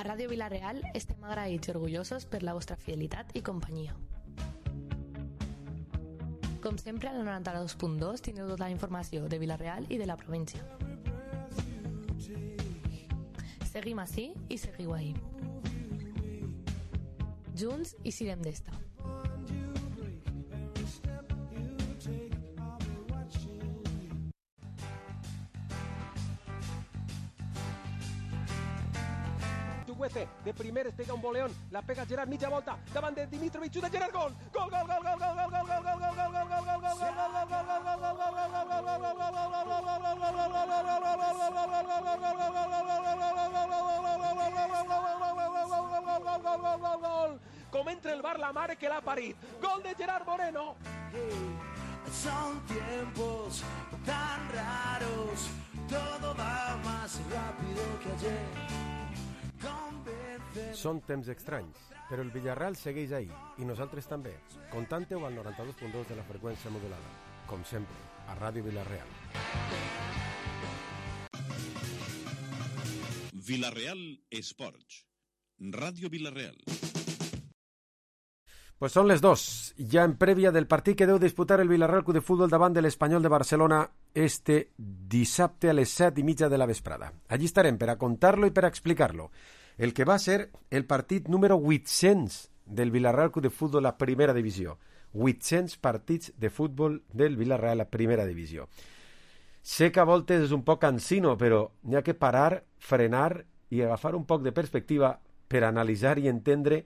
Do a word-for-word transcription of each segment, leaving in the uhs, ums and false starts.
A Ràdio Vila-real estem agraïts i orgullosos per la vostra fidelitat i companyia. Com sempre, al noranta-dos punt dos teniu tota la informació de Vila-real i de la província. Seguim ací i seguiu ahí. Junts i sirem d'esta. De primer es pega un boleón, la pega Gerard, mitja volta, davant de Dimitrovic, xuta Gerard, gol! Gol, gol, gol, gol, gol, gol, gol, gol, gol, gol, gol, gol, gol, gol, gol, com entra el bar la mare que l'ha parit. Gol de Gerard Moreno. Son tiempos tan raros, todo va más rápido que ayer. Són temps estranys, però el Villarreal segueix ahí, i nosaltres també. Contanteu al noranta-dos punt dos de la freqüència modulada, com sempre, a Ràdio Vila-real. Vila-real Esports. Ràdio Vila-real. Pues són les dos, ja en prèvia del partit que deu disputar el Villarreal Club de Futbol davant de l'Espanyol de Barcelona este dissabte a les set i mitja de la vesprada. Allí estarem per a contar-lo i per a explicar-lo. El que va ser el partit número vuit-cents del Villarreal Club de Futbol a primera divisió. vuit-cents partits de futbol del Villarreal a primera divisió. Sé que a voltes és un poc cansino, però n'hi ha que parar, frenar i agafar un poc de perspectiva per analitzar i entendre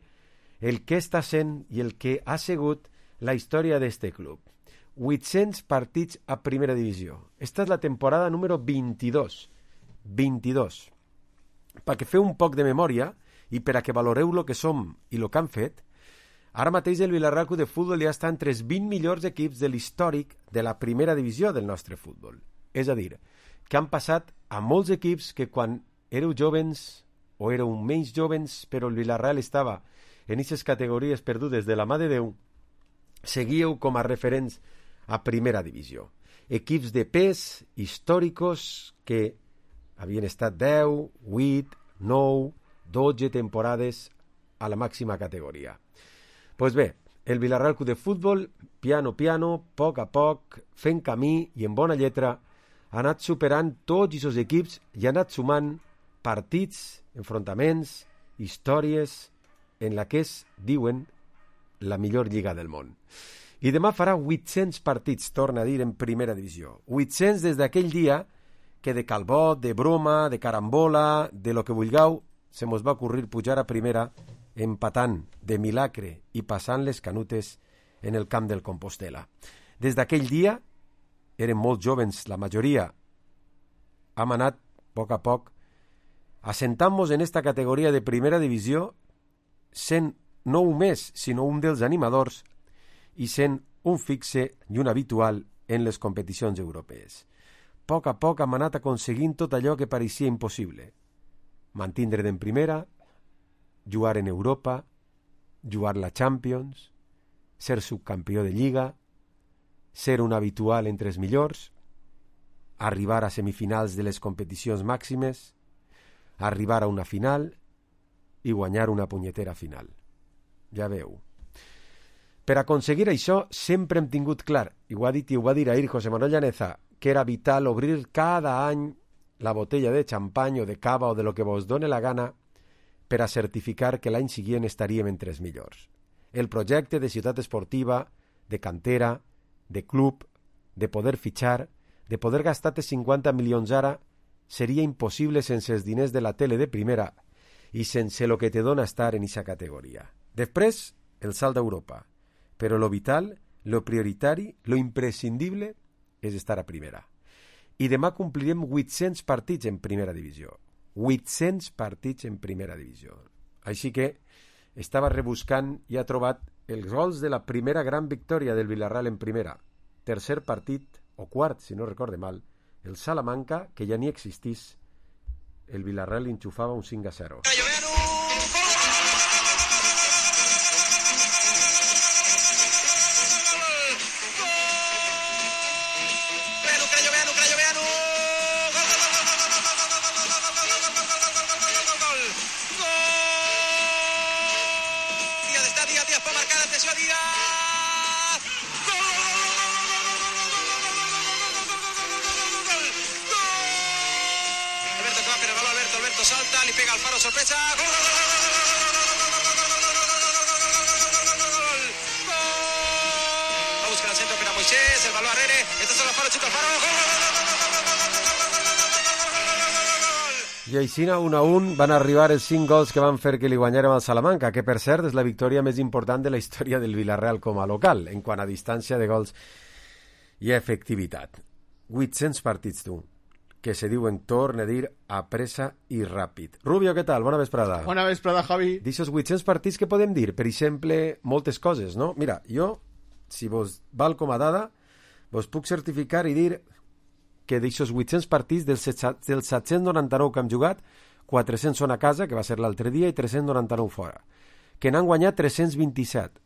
el que està sent i el que ha sigut la història d'este club. vuit-cents partits a primera divisió. Esta és la temporada número vint-i-dos. vint-i-dos. Perquè feu un poc de memòria i per a que valoreu el que som i el que han fet, ara mateix el Villarreal Club de Futbol ja està entre els vint millors equips de l'històric de la primera divisió del nostre futbol. És a dir, que han passat a molts equips que quan éreu jovens o éreu menys jovens, però el Villarreal estava en aquestes categories perdudes de la mà de Déu, seguíeu com a referents a primera divisió. Equips de pes, històricos, que havien estat deu, vuit, nou, dotze temporades a la màxima categoria. Pues bé, el Villarreal Club de Futbol, piano piano, a poc a poc, fent camí i en bona lletra, ha anat superant tots aquests equips i ha anat sumant partits, enfrontaments, històries, en la que es diuen la millor lliga del món. I demà farà vuit-cents partits, torna a dir, en primera divisió. vuit-cents des d'aquell dia que de calbot, de broma, de carambola, de lo que vulgueu, se mos va ocurrir pujar a primera empatant de milagre i passant les canutes en el camp del Compostela. Des d'aquell dia, eren molt jovens, la majoria, hem anat, a poc a poc, assentant-nos en esta categoria de primera divisió, sent no un més, sinó un dels animadors i sent un fixe i un habitual en les competicions europees. A poc a poc hem anat aconseguint tot allò que pareixia impossible. Mantindre't en primera, jugar en Europa, jugar la Champions, ser subcampió de Lliga, ser un habitual entre els millors, arribar a semifinals de les competicions màximes, arribar a una final i guanyar una punyetera final. Ja veu. Per aconseguir això sempre hem tingut clar, i ho ha dit i ho va dir ahir José Manuel Llaneza, que era vital obrir cada any la botella de xampany o de cava o de lo que vos done la gana per a certificar que l'any següent estaríem entre els millors. El projecte de ciutat esportiva, de cantera, de club, de poder fitxar, de poder gastar-te cinquanta milions ara, seria impossible sense els diners de la tele de primera i sense lo que te dona estar en aquesta categoria. Després, el salt d'Europa. Però lo vital, lo prioritari, lo imprescindible és estar a primera. I demà complirem vuit-cents partits en primera divisió. vuit-cents partits en primera divisió. Així que estava rebuscant i ha trobat els gols de la primera gran victòria del Villarreal en primera. Tercer partit, o quart, si no recorde mal, el Salamanca, que ja ni existís, el Villarreal enxufava un cinc a zero. Gol! Alberto salta, le pega al Faro, sorpresa. ¡Gol! Va a buscar al centro, pero Moisés, el balón a Rere. Este es el Alfaro, chuta Alfaro. I així, un a un, van arribar els cinc gols que van fer que li guanyarem al Salamanca, que per cert és la victòria més important de la història del Villarreal com a local, en quant a distància de gols i efectivitat. vuit-cents partits, tu, que se diuen, torna a dir, a pressa i ràpid. Rubio, què tal? Bona vesprada. Bona vesprada, Javi. D'aixòs vuit-cents partits que podem dir? Per exemple, moltes coses, no? Mira, jo, si vos val com a dada, vos puc certificar i dir que d'aixòs vuit-cents partits, dels set-cents noranta-nou que hem jugat, quatre-cents són a casa, que va ser l'altre dia, i tres-cents noranta-nou fora. Que n'han guanyat tres-cents vint-i-set,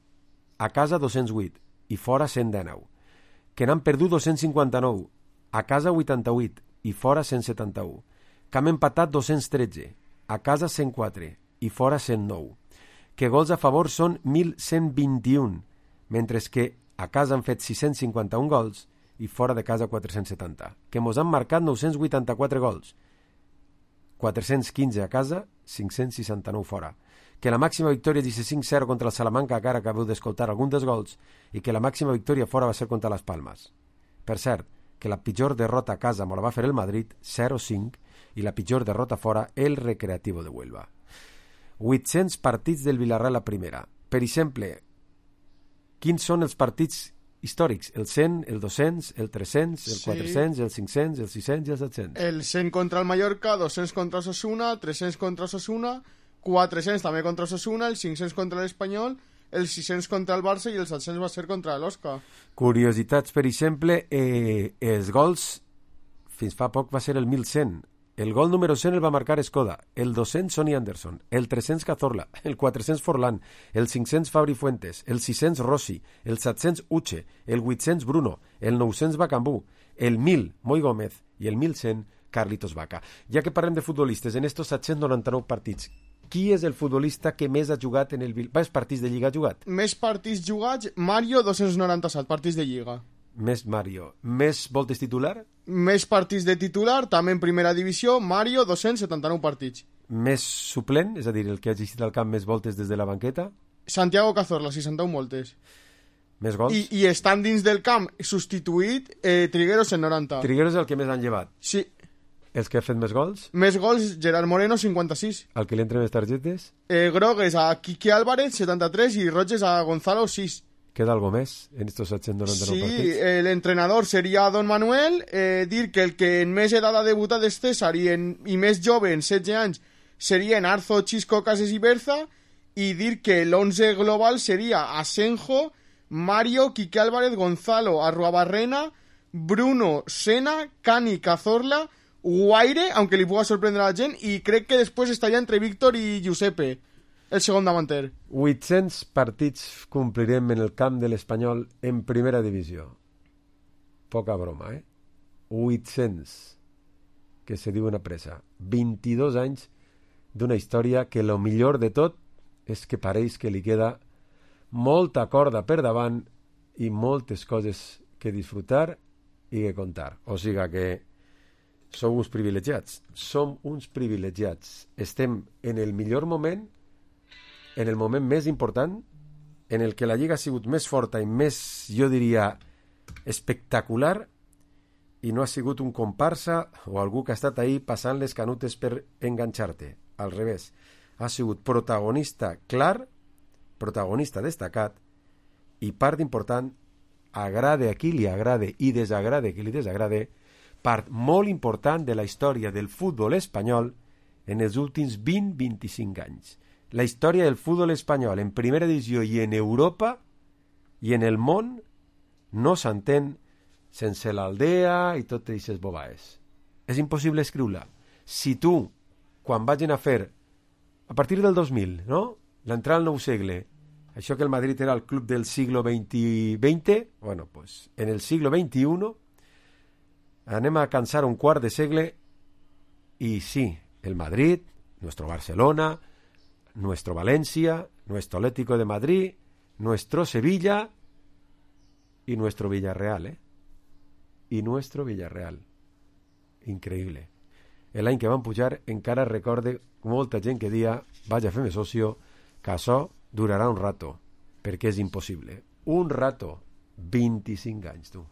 a casa dos-cents vuit, i fora cent dinou. Que n'han perdut dos-cents cinquanta-nou, a casa vuitanta-vuit, i fora cent setanta-u. Que hem empatat dos-cents tretze, a casa cent quatre, i fora cent nou. Que gols a favor són mil cent vint-i-un, mentre que a casa han fet sis-cents cinquanta-un gols, i fora de casa quatre-cents setanta. Que mos han marcat nou-cents vuitanta-quatre gols, quatre-cents quinze a casa, cinc-cents seixanta-nou fora. Que la màxima victòria és cinc zero contra el Salamanca, que ara acabeu d'escoltar algun dels gols, i que la màxima victòria fora va ser contra les Palmes. Per cert, que la pitjor derrota a casa me la va fer el Madrid, zero cinc, i la pitjor derrota fora, el Recreativo de Huelva. vuit-cents partits del Villarreal a primera. Per exemple, quins són els partits històrics? El cent, el dos-cents, el tres-cents, el Sí. quatre-cents, el cinc-cents, el sis-cents i el set-cents. El cent contra el Mallorca, dos-cents contra Osasuna, tres-cents contra Osasuna, quatre-cents també contra Osasuna, el cinc-cents contra l'Espanyol, el sis-cents contra el Barça i el set-cents va ser contra l'Osca. Curiositats, per exemple, eh, els gols, fins fa poc va ser el mil cent. El gol número cent el va marcar Escoda, el dos-cents Sonny Anderson, el tres-cents Cazorla, el quatre-cents Forlán, el cinc-cents Fabri Fuentes, el sis-cents Rossi, el set-cents Uche, el vuit-cents Bruno, el nou-cents Bacambú, el mil Moi Gómez i el mil cent Carlitos Vaca. Ja que parlem de futbolistes, en estos set-cents noranta-nou partits, qui és el futbolista que més ha jugat en el Vil... Quants partits de Lliga ha jugat? Més partits jugats, Mario, dos-cents noranta-set partits de Lliga. Més Mario. Més voltes titular? Més partits de titular, també en primera divisió, Mario, dos-cents setanta-nou partits. Més suplent, és a dir, el que ha existit al camp més voltes des de la banqueta? Santiago Cazorla, seixanta-un moltes. Més gols? I, i estan dins del camp, substituït eh, Trigueros en noranta. Trigueros és el que més han llevat. Sí. Els que ha fet més gols? Més gols, Gerard Moreno, cinquanta-sis. El que li entren més targetes? Eh, grogues a Quique Álvarez, setanta-tres, i roges a Gonzalo, sis. Queda algo més en estos setcents noranta-nou Sí, partits? el entrenador seria Don Manuel, eh, dir que el que en més edat ha debutat és César i, en, i més jove, en setze anys, serien Arzo, Chisco, Cases i Berza, i dir que l'onze global seria Asenjo, Mario, Quique Álvarez, Gonzalo, Arruabarrena, Bruno, Sena, Cani, Cazorla, Guaire, aunque li puga sorprendre a la gent, i crec que després estaria entre Víctor i Giuseppe, el segon davanter. vuit-cents partits complirem en el camp de l'Espanyol en primera divisió. Poca broma, eh? vuit-cents, que se diu una pressa. vint-i-dos anys d'una història que lo millor de tot és que pareix que li queda molta corda per davant i moltes coses que disfrutar i que contar. O sigui que sou uns privilegiats. Som uns privilegiats. Estem en el millor moment, en el moment més important, en el que la Lliga ha sigut més forta i més, jo diria, espectacular, i no ha sigut un comparsa o algú que ha estat ahí passant les canutes per enganxar-te. Al revés, ha sigut protagonista clar, protagonista destacat, i part important, agrade a qui li agrade i desagrade a qui li desagrade, part molt important de la història del futbol espanyol en els últims vint a vint-i-cinc anys. La història del futbol espanyol en primera divisió i en Europa i en el món no s'entén sense l'Aldea i totes aquestes bobaes. És impossible escriure-la. Si tu, quan vagin a fer, a partir del dos mil, no? L'entrada al nou segle, això que el Madrid era el club del siglo veinte, bueno, pues en el siglo veintiuno anem a cansar un quart de segle i sí, el Madrid, nuestro Barcelona, nuestro Valencia, nuestro Atlético de Madrid, nuestro Sevilla y nuestro Villarreal, ¿eh? Y nuestro Villarreal. Increíble. l'any que van pujar, encara recorde molta gent que dia vaig a fer-me socio, que això durarà un rato, perquè és impossible. Un rato, vint-i-cinc anys, tu.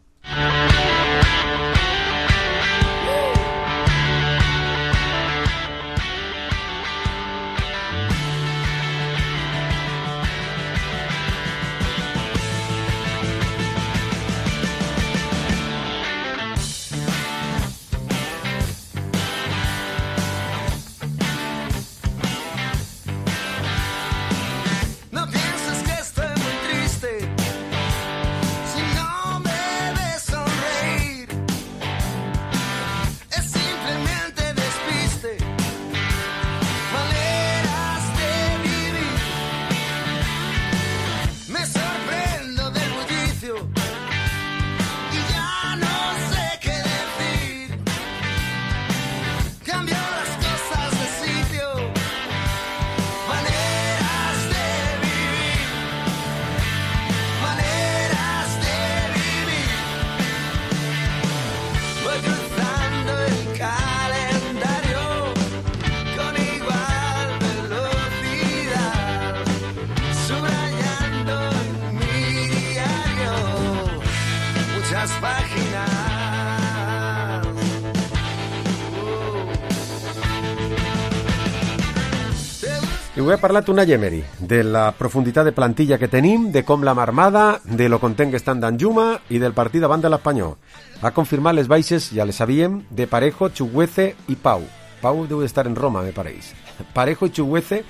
I ho he parlat una Emery, de la profunditat de plantilla que tenim, de com l'hem armada, de lo content que estan d'Anjuma i del partit davant de l'Espanyol. Ha confirmat les baixes, ja les sabíem, de Parejo, Chukwueze i Pau. Pau deu estar en Roma, me pareix. Parejo i Chukwueze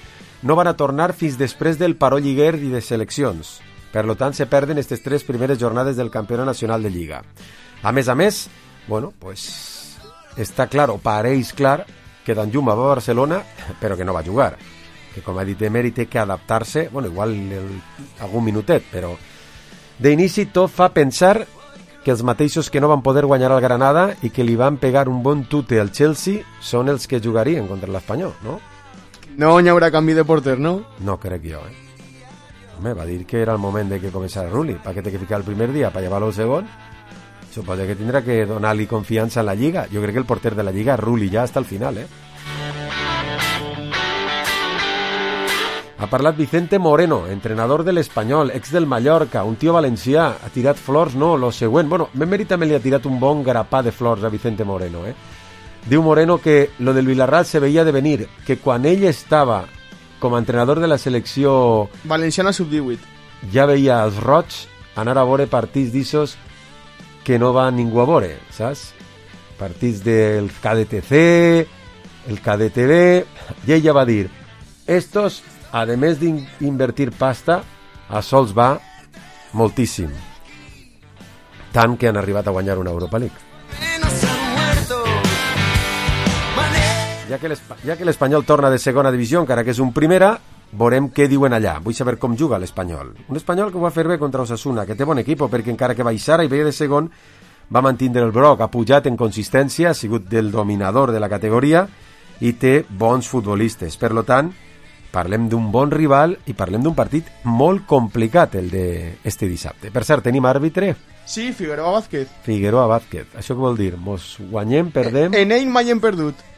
no van a tornar fins després del paró lliguer i de seleccions. Per lo tant, se perden aquestes tres primeres jornades del Campionat Nacional de Lliga. A més a més, bueno, pues està clar, o pareix clar, que Danjuma va a Barcelona, però que no va jugar. Que com ha dit Emery té que adaptar-se, bueno, igual el, algun minutet, però d'inici tot fa pensar que els mateixos que no van poder guanyar al Granada i que li van pegar un bon tute al Chelsea són els que jugarien contra l'Espanyol, no? No hi haurà canvi de porter, no? No crec jo, eh? Home, va dir que era el moment de que començara Rulli, perquè té que ficar el primer dia per llevar-lo el segon. Suposo que tindrà que donar-li confiança en la Lliga. Jo crec que el porter de la Lliga és Rulli ja hasta el final, eh? Ha parlat Vicente Moreno, entrenador de l'Espanyol, ex del Mallorca, un tio valencià, ha tirat flors, no, lo següent. Bueno, Emery també li ha tirat un bon grapà de flors a Vicente Moreno, eh? Diu Moreno que lo del Villarreal se veia de venir, que quan ell estava com a entrenador de la selecció valenciana sub divuit ja veia els roig anar a veure partits d'issos que no va ningú a veure, saps? Partits del K D T C, el K D T B, i ella va dir, estos, a més d'invertir pasta, a sols va moltíssim. Tant que han arribat a guanyar una Europa League. Ja que ja que l'Espanyol torna de segona divisió, encara que és un primera, veurem què diuen allà. Vull saber com juga l'Espanyol. Un Espanyol que ho va fer bé contra Osasuna, que té bon equip, perquè encara que baixara i veia de segon, va mantindre el broc, ha pujat en consistència, ha sigut del dominador de la categoria i té bons futbolistes. Per lo tant, parlem d'un bon rival i parlem d'un partit molt complicat, el d'este dissabte. Per cert, tenim àrbitre? Sí, Figueroa Vázquez. Figueroa Vázquez. Això què vol dir? Mos guanyem, perdem? En ell mai hem perdut.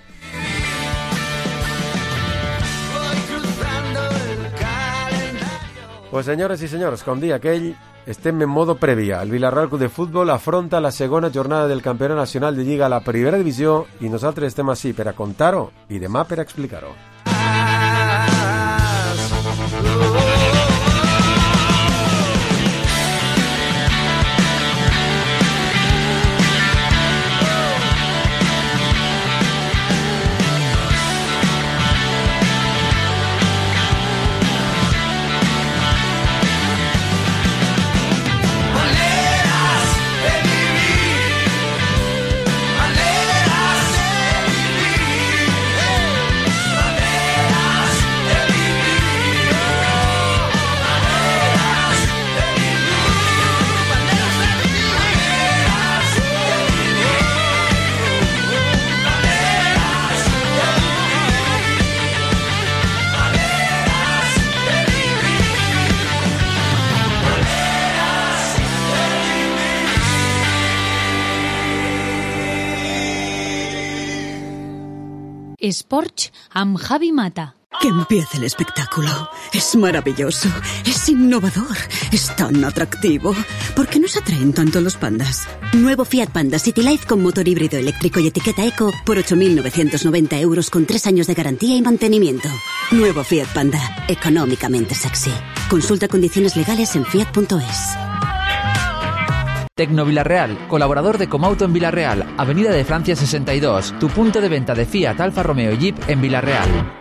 Pues senyores i senyors, com dia aquell, estem en modo prèvia. El Villarreal Club de Futbol afronta la segona jornada del Campionat Nacional de Lliga a la primera divisió i nosaltres estem així per a contar-ho i demà per a explicar-ho. Esports amb Javi Mata. Que empiece el espectáculo. Es maravilloso, es innovador, es tan atractivo. ¿Por qué nos atraen tanto los pandas? Nuevo Fiat Panda City Life con motor híbrido eléctrico y etiqueta eco por ocho mil novecientos noventa euros con tres años de garantía y mantenimiento. Nuevo Fiat Panda, económicamente sexy. Consulta condiciones legales en fiat punto es. Tecno Villarreal, colaborador de Comauto en Villarreal, Avenida de Francia sesenta y dos, tu punto de venta de Fiat, Alfa Romeo y Jeep en Villarreal.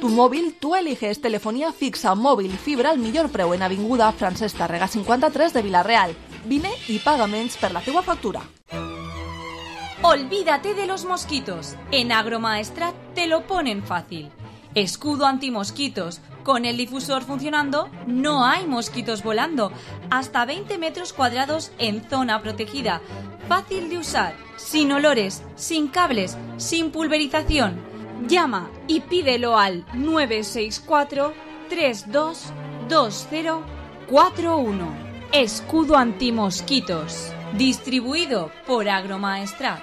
Tu mòbil, tu eliges telefonía fixa, mòbil i fibra al millor preu en Avinguda Francesc Tàrrega cinquanta-tres de Villarreal. Vine i paga menys per la teua factura. Olvídate de los mosquitos. En Agromaestrat te lo ponen fácil. Escudo antimosquitos. Con el difusor funcionando, no hay mosquitos volando. Hasta veinte metros cuadrados en zona protegida. Fácil de usar, sin olores, sin cables, sin pulverización. Llama y pídelo al nueve seis cuatro, tres dos dos cero cuatro uno. Escudo antimosquitos. Distribuido por Agromaestrat.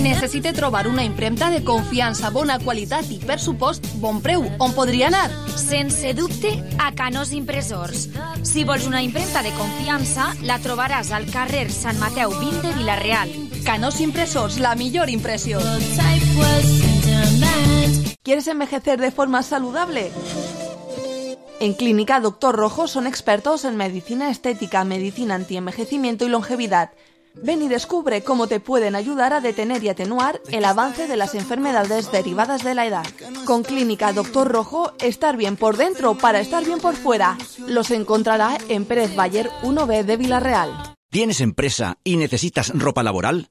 Necessite trobar una impremta de confiança, bona qualitat i, per supost, bon preu. On podria anar? Sense dubte, a Canós Impressors. Si vols una impremta de confiança, la trobaràs al carrer Sant Mateu vint de Vila-real. Canós Impressors, la millor impressió. ¿Quieres envejecer de forma saludable? En Clínica Doctor Rojo son expertos en medicina estética, medicina antienvejecimiento y longevidad. Ven y descubre cómo te pueden ayudar a detener y atenuar el avance de las enfermedades derivadas de la edad. Con Clínica Doctor Rojo, estar bien por dentro para estar bien por fuera. Los encontrará en Pérez Bayer uno B de Villarreal. ¿Tienes empresa y necesitas ropa laboral?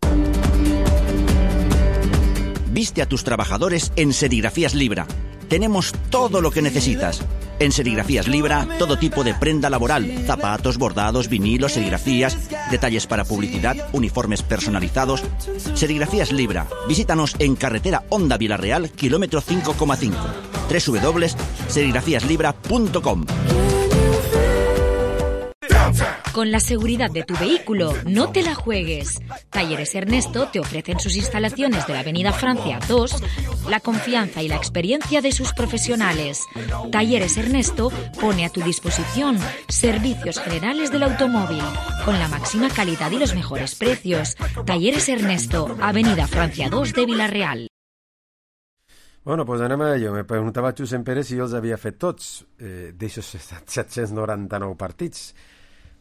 Viste a tus trabajadores en Serigrafías Libra. Tenemos todo lo que necesitas. En Serigrafías Libra, todo tipo de prenda laboral, zapatos, bordados, vinilos, serigrafías, detalles para publicidad, uniformes personalizados. Serigrafías Libra. Visítanos en carretera Honda Villarreal, kilómetro cinco coma cinco. doble u doble u doble u punto serigrafías libra punto com. Con la seguridad de tu vehículo, no te la juegues. Talleres Ernesto te ofrecen sus instalaciones de la Avenida Francia dos, la confianza y la experiencia de sus profesionales. Talleres Ernesto pone a tu disposición servicios generales del automóvil, con la máxima calidad y los mejores precios. Talleres Ernesto, Avenida Francia dos de Villarreal. Bueno, pues anem a ello. Me preguntava Josep Pérez si jo els havia fet tots, eh, d'aixòs set-cents noranta-nou partits.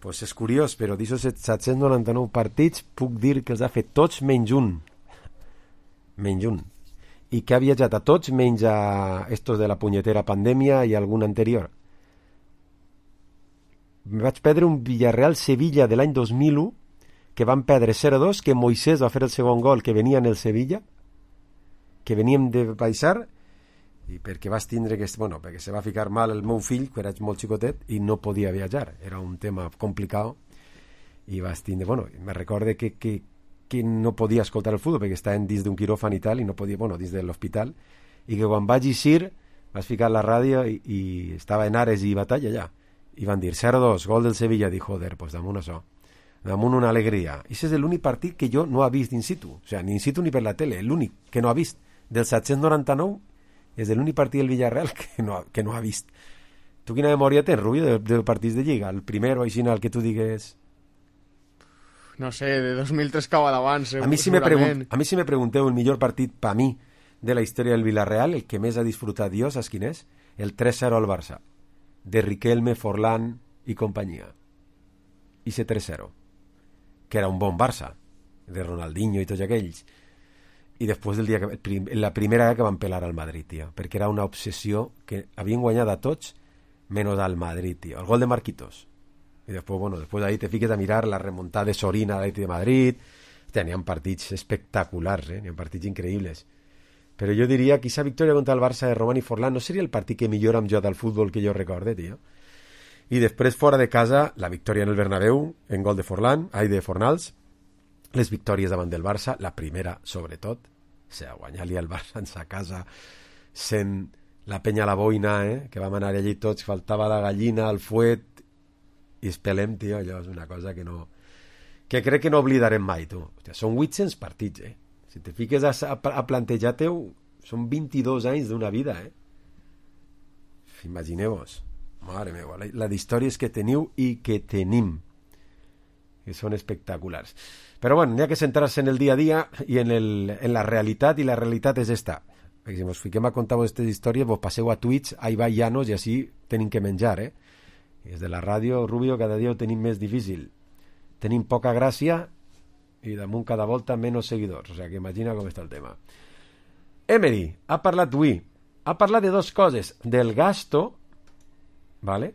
Pues és curiós, però d'aixòs set-cents noranta-nou partits puc dir que els ha fet tots menys un. Menys un. I que ha viatjat a tots menys a estos de la punyetera pandèmia i algun anterior. Me vaig perdre un Villarreal-Sevilla de l'any dos mil u, que van perdre zero a dos, que Moisés va fer el segon gol, que venia en el Sevilla, que veníem de baixar, i perquè vas tindre que... Bueno, perquè se va ficar mal el meu fill, que era molt xicotet, i no podia viatjar. Era un tema complicat, i vas tindre... Bueno, me recorde que, que, que no podia escoltar el futbol, perquè estaven dins d'un quiròfan i tal, i no podia... Bueno, dins de l'hospital, i que quan vaig eixir, vas ficar la ràdio, i, i estava en Ares i Batalla allà, i van dir zero a dos, gol del Sevilla. Dic, joder, pues damunt això. Damunt una alegria. I aquest és l'únic partit que jo no ha vist in situ. O sigui, ni in situ ni per la tele, l'únic que no ha vist. Del set-cents noranta-nou és l'únic partit del Villarreal que no, que no ha vist. Tu quina memòria tens, Rubio, de, de partits de Lliga? El primer o així, el que tu digues... No sé, de dos mil tres cava d'abans, a mi si me pregun- a mi si me pregunteu el millor partit per mi de la història del Villarreal, el que més ha disfrutat jo, saps quin és? El tres zero al Barça, de Riquelme, Forlán i companyia. I ese tres zero, que era un bon Barça, de Ronaldinho i tots aquells. I després del dia que, la primera que van pelar al Madrid, tio, perquè era una obsessió que havien guanyat a tots menys al Madrid, tio. El gol de Marquitos. I després, bueno, després d'ahí te fiques a mirar la remuntada de Sorina a l'Atlètic de Madrid. Hòstia, n'hi ha partits espectaculars, eh? N'hi ha partits increïbles. Però jo diria que aquesta victòria contra el Barça de Román i Forlán no seria el partit que millor hem jugat al futbol que jo recorde, tio. I després, fora de casa, la victòria en el Bernabéu, en gol de Forlán, ai, de Fornals, les victòries davant del Barça, la primera sobretot, o sigui, guanyar-li al Barça en sa casa sent la penya a la boina, eh? Que vam anar allí tots, faltava la gallina, el fuet i espelem, tio, allò és una cosa que no que crec que no oblidarem mai, tu. Hòstia, són vuit-cents partits, eh? Si te fiques a, a, a plantejar-te-ho, són vint-i-dos anys d'una vida, eh? Imagineu-vos. Mare meva, la, la d'històries que teniu i que tenim, que són espectaculars. Però bueno, n'hi ha que centrar-se en el dia a dia i en, el, en la realitat, i la realitat és esta. Perquè si ens fiquem a contar aquestes històries, vos passeu a Twitch, a Ibai Llanos, i així tenim que menjar, eh? I des de la ràdio, Rubio, cada dia ho tenim més difícil. Tenim poca gràcia i damunt cada volta menys seguidors. O sigui, que imagina com està el tema. Emery ha parlat avui. Ha parlat de dos coses. Del gasto, ¿vale?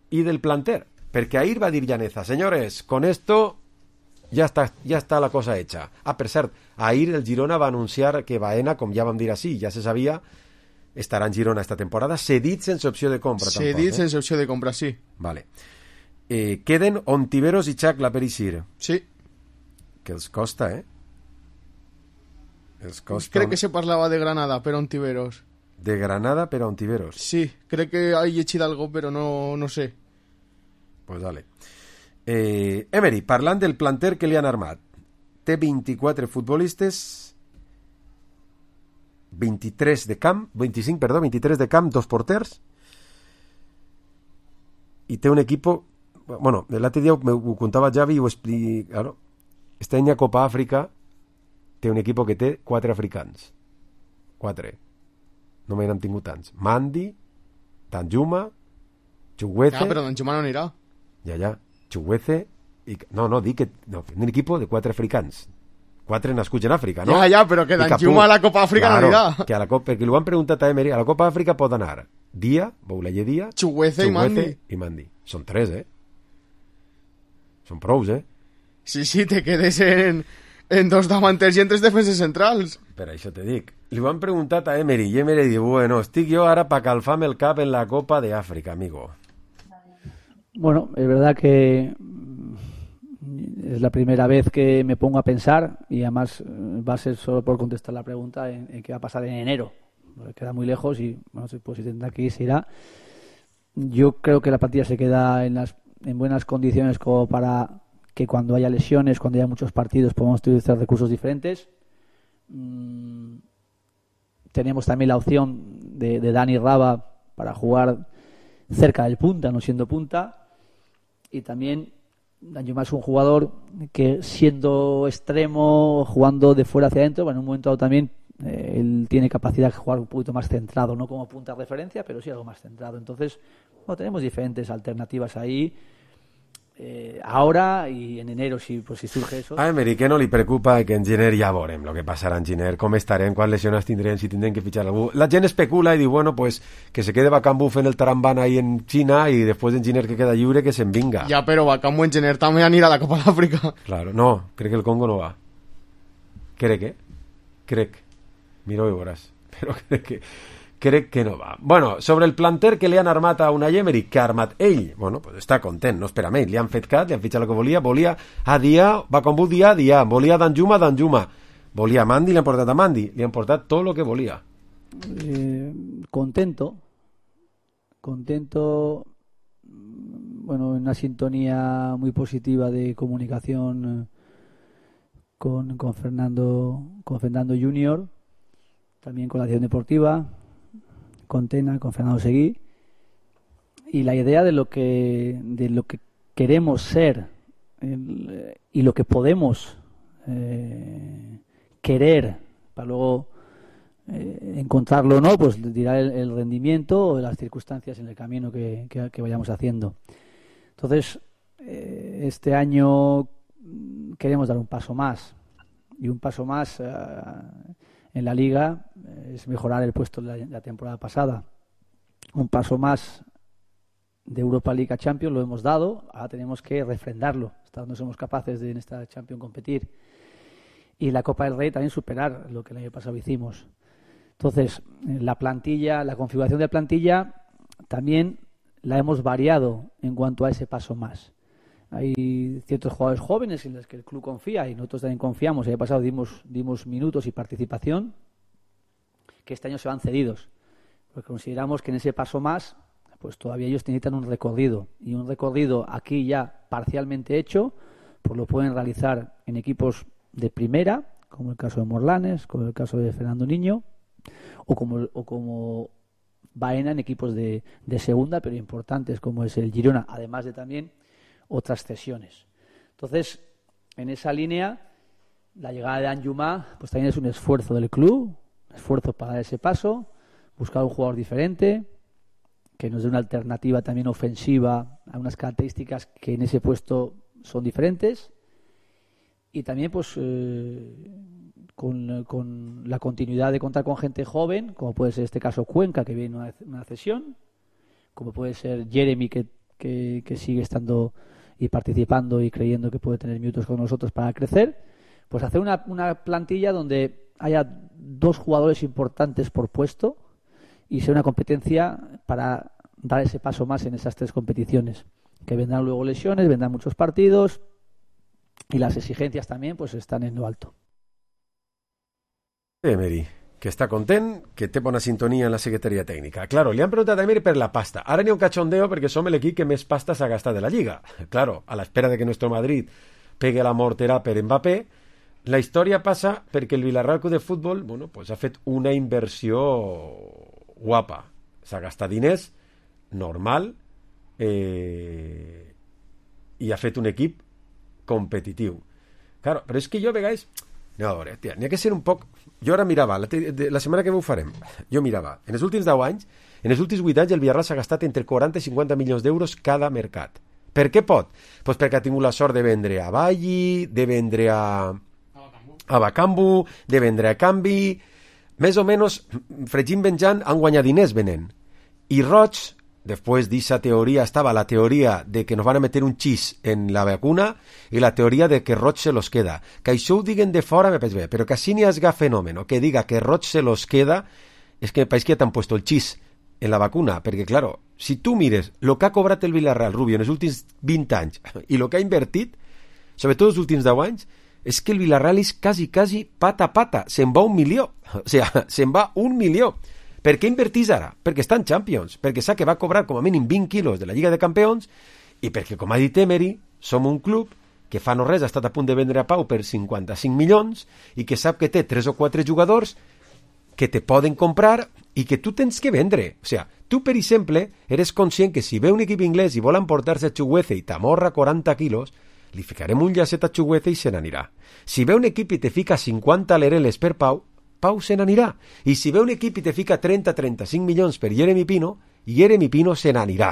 Y del planter. Porque ahir va dir Llaneza, señores, con esto ya está, ya está la cosa hecha. Ah, per cert, ahir el Girona va anunciar que Baena, com ja vam dir així, ja se sabia, estarà en Girona esta temporada, cedit sense opció de compra. Cedit tampoc, eh? Sense opció de compra, sí. Vale. Eh, queden Ontiveros i Chacla per eixir. Sí. Que els costa, eh? Els costa... Crec que se parlava de Granada per Ontiveros. De Granada per Ontiveros. Sí, crec que ha llegit algo, però no, no sé. Pues dale. Eh, Emery, parlant del planter que li han armat, té vint-i-quatre futbolistes, vint-i-tres de camp, vint-i-cinc, perdó, vint-i-tres de camp, dos porters, i té un equipo, bueno, l'altre dia ho contava Javi i ho explico, claro, este any a Copa Àfrica té un equipo que té quatre africans, quatre, no me n'han tingut tants, Mandi, Danjuma, Chukwueze... Ah, però Danjuma no anirà. Ja, ja, Chukwueze i... No, no, dic que... No, un equip de quatre africans. Quatre nascuts en Àfrica, no? Ja, ja, però que Danjuma a la Copa Àfrica claro, no anirà. Que a la Copa... Perquè ho han preguntat a Emery, a la Copa Àfrica pot anar Dia, Boulaye Dia... Chukwueze i Mandi. i Mandi. Són tres, eh? Són prous, eh? Sí, sí, te quedes en, en dos davanters i en tres defenses centrals. Per això te dic. Li ho han preguntat a Emery i Emery diu, bueno, estic jo ara pa calfar-me el cap en la Copa de Àfrica, amigo. Bueno, es verdad que es la primera vez que me pongo a pensar y además va a ser solo por contestar la pregunta en, en qué va a pasar en enero. Queda muy lejos y bueno, pues si tendrá que ir, se irá. Yo creo que la plantilla se queda en, las, en buenas condiciones como para que cuando haya lesiones, cuando haya muchos partidos, podamos utilizar recursos diferentes. Mm, tenemos también la opción de, de Dani Raba para jugar cerca del punta, no siendo punta. Y también Danjuma es un jugador que siendo extremo, jugando de fuera hacia adentro, bueno, en un momento dado también eh, él tiene capacidad de jugar un poquito más centrado, no como punta de referencia, pero sí algo más centrado. Entonces, bueno, tenemos diferentes alternativas ahí. Eh, ahora y en enero si, pues, si surge eso. A Emery que no li preocupa que en gener ja veurem el que passarà en gener, com estarem, quants lesiones tindrem, si tindrem que fitxar algú. La gent especula i diu, bueno, pues que se quede Bakambu fent el tarambana ahí en China i després en gener que queda lliure que se'n vinga. Ja, però Bakambu en gener també anirà a la Copa d'Àfrica. Claro, no, crec que el Congo no va. Crec, eh? Crec. Mira, ho veuràs. Però crec que... crec que no va. Bueno, sobre el planter que li han armat a Unai Emery, que ha armat ell, bueno, pues està content, no espera més, li han fet cat, li han fitxat el que volia, volia a Dia, va com vol Dia, Dia, volia Danjuma, Danjuma, volia a Mandi, li han portat a Mandi, li han portat tot el que volia. Eh, contento, contento, bueno, en una sintonía muy positiva de comunicación con, con Fernando, con Fernando Junior, también con la acción deportiva, con Tena, con Fernando Seguí, y la idea de lo que de lo que queremos ser el, y lo que podemos eh, querer para luego eh, encontrarlo o no, pues dirá el, el rendimiento o las circunstancias en el camino que, que, que vayamos haciendo. Entonces, eh, este año queremos dar un paso más, y un paso más eh, en la Liga es mejorar el puesto de la, la temporada pasada. Un paso más de Europa League a Champions lo hemos dado, ahora tenemos que refrendarlo. Hasta donde somos capaces de en esta Champions competir. Y la Copa del Rey también superar lo que el año pasado hicimos. Entonces, la plantilla, la configuración de plantilla también la hemos variado en cuanto a ese paso más. Hay ciertos jugadores jóvenes en los que el club confía y nosotros también confiamos. El año pasado dimos, dimos minutos y participación que este año se van cedidos. Porque consideramos que en ese paso más, pues todavía ellos necesitan un recorrido. Y un recorrido aquí ya parcialmente hecho, pues lo pueden realizar en equipos de primera, como el caso de Morlanes, como el caso de Fernando Niño, o como, o como Baena en equipos de, de segunda, pero importantes, como es el Girona, además de también otras cesiones. Entonces, en esa línea, la llegada de Anjumá pues también es un esfuerzo del club, un esfuerzo para dar ese paso, buscar un jugador diferente, que nos dé una alternativa también ofensiva a unas características que en ese puesto son diferentes, y también pues eh, con, con la continuidad de contar con gente joven, como puede ser este caso Cuenca, que viene una, una cesión, como puede ser Jeremy, que, que, que sigue estando y participando y creyendo que puede tener minutos con nosotros para crecer, pues hacer una, una plantilla donde haya dos jugadores importantes por puesto y sea una competencia para dar ese paso más en esas tres competiciones, que vendrán luego lesiones, vendrán muchos partidos y las exigencias también pues están en lo alto. Emery, que està content, que té bona sintonia en la secretaria tècnica. Claro, li han preguntat a Emery per la pasta. Ara n'hi ha un cachondeo perquè som l'equip que més pasta s'ha gastat de la Lliga. Claro, a l'espera de que nuestro Madrid pegue la mortera per Mbappé, la història passa perquè el Villarreal Club de Futbol, bueno, pues ha fet una inversió guapa. S'ha gastat diners, normal, eh, i ha fet un equip competitiu. Claro, però és que jo a vegades... No, a veure, tia, n'hi ha que ser un poc... Jo ara mirava, la, te... la setmana que ho farem, jo mirava, en els últims deu anys, en els últims vuit anys el Villarreal s'ha gastat entre quaranta i cinquanta milions d'euros cada mercat. Per què pot? Pues perquè ha tingut la sort de vendre a Valli, de vendre a... a Bacambu, de vendre a Canvi... Més o menys, fregint venjant, han guanyat diners venent. I Roig, després d'esa teoria, estava la teoria de que nos van a meter un xis en la vacuna i la teoria de que Roig se los queda. Que això ho diguen de fora me pareix bé, però que així n'hi hagi fenòmeno, que diga que Roig se los queda, és que me pareix que t'han puesto el xis en la vacuna, perquè, claro, si tu mires lo que ha cobrat el Villarreal, Rubio, en els últims vint anys i lo que ha invertit, sobretot els últims deu anys, és que el Villarreal és quasi, quasi pata a pata. Se'n va un milió. O sigui, se'n va un milió. Per què invertís ara? Perquè està en Champions, perquè sap que va cobrar com a mínim vint quilos de la Lliga de Campions i perquè, com ha dit Emery, som un club que fa no res ha estat a punt de vendre a Pau per cinquanta-cinc milions i que sap que té tres o quatre jugadors que te poden comprar i que tu tens que vendre. O sigui, tu, per exemple, eres conscient que si ve un equip inglès i vol emportar-se a Chuguece i t'amorra quaranta quilos, li ficarem un llacet a Chuguece i se n'anirà. Si ve un equip i te fica cinquanta lereles per Pau, Pau se n'anirà. I si ve un equip i te fica trenta a trenta-cinc milions per Jeremy Pino, Jeremy Pino se n'anirà.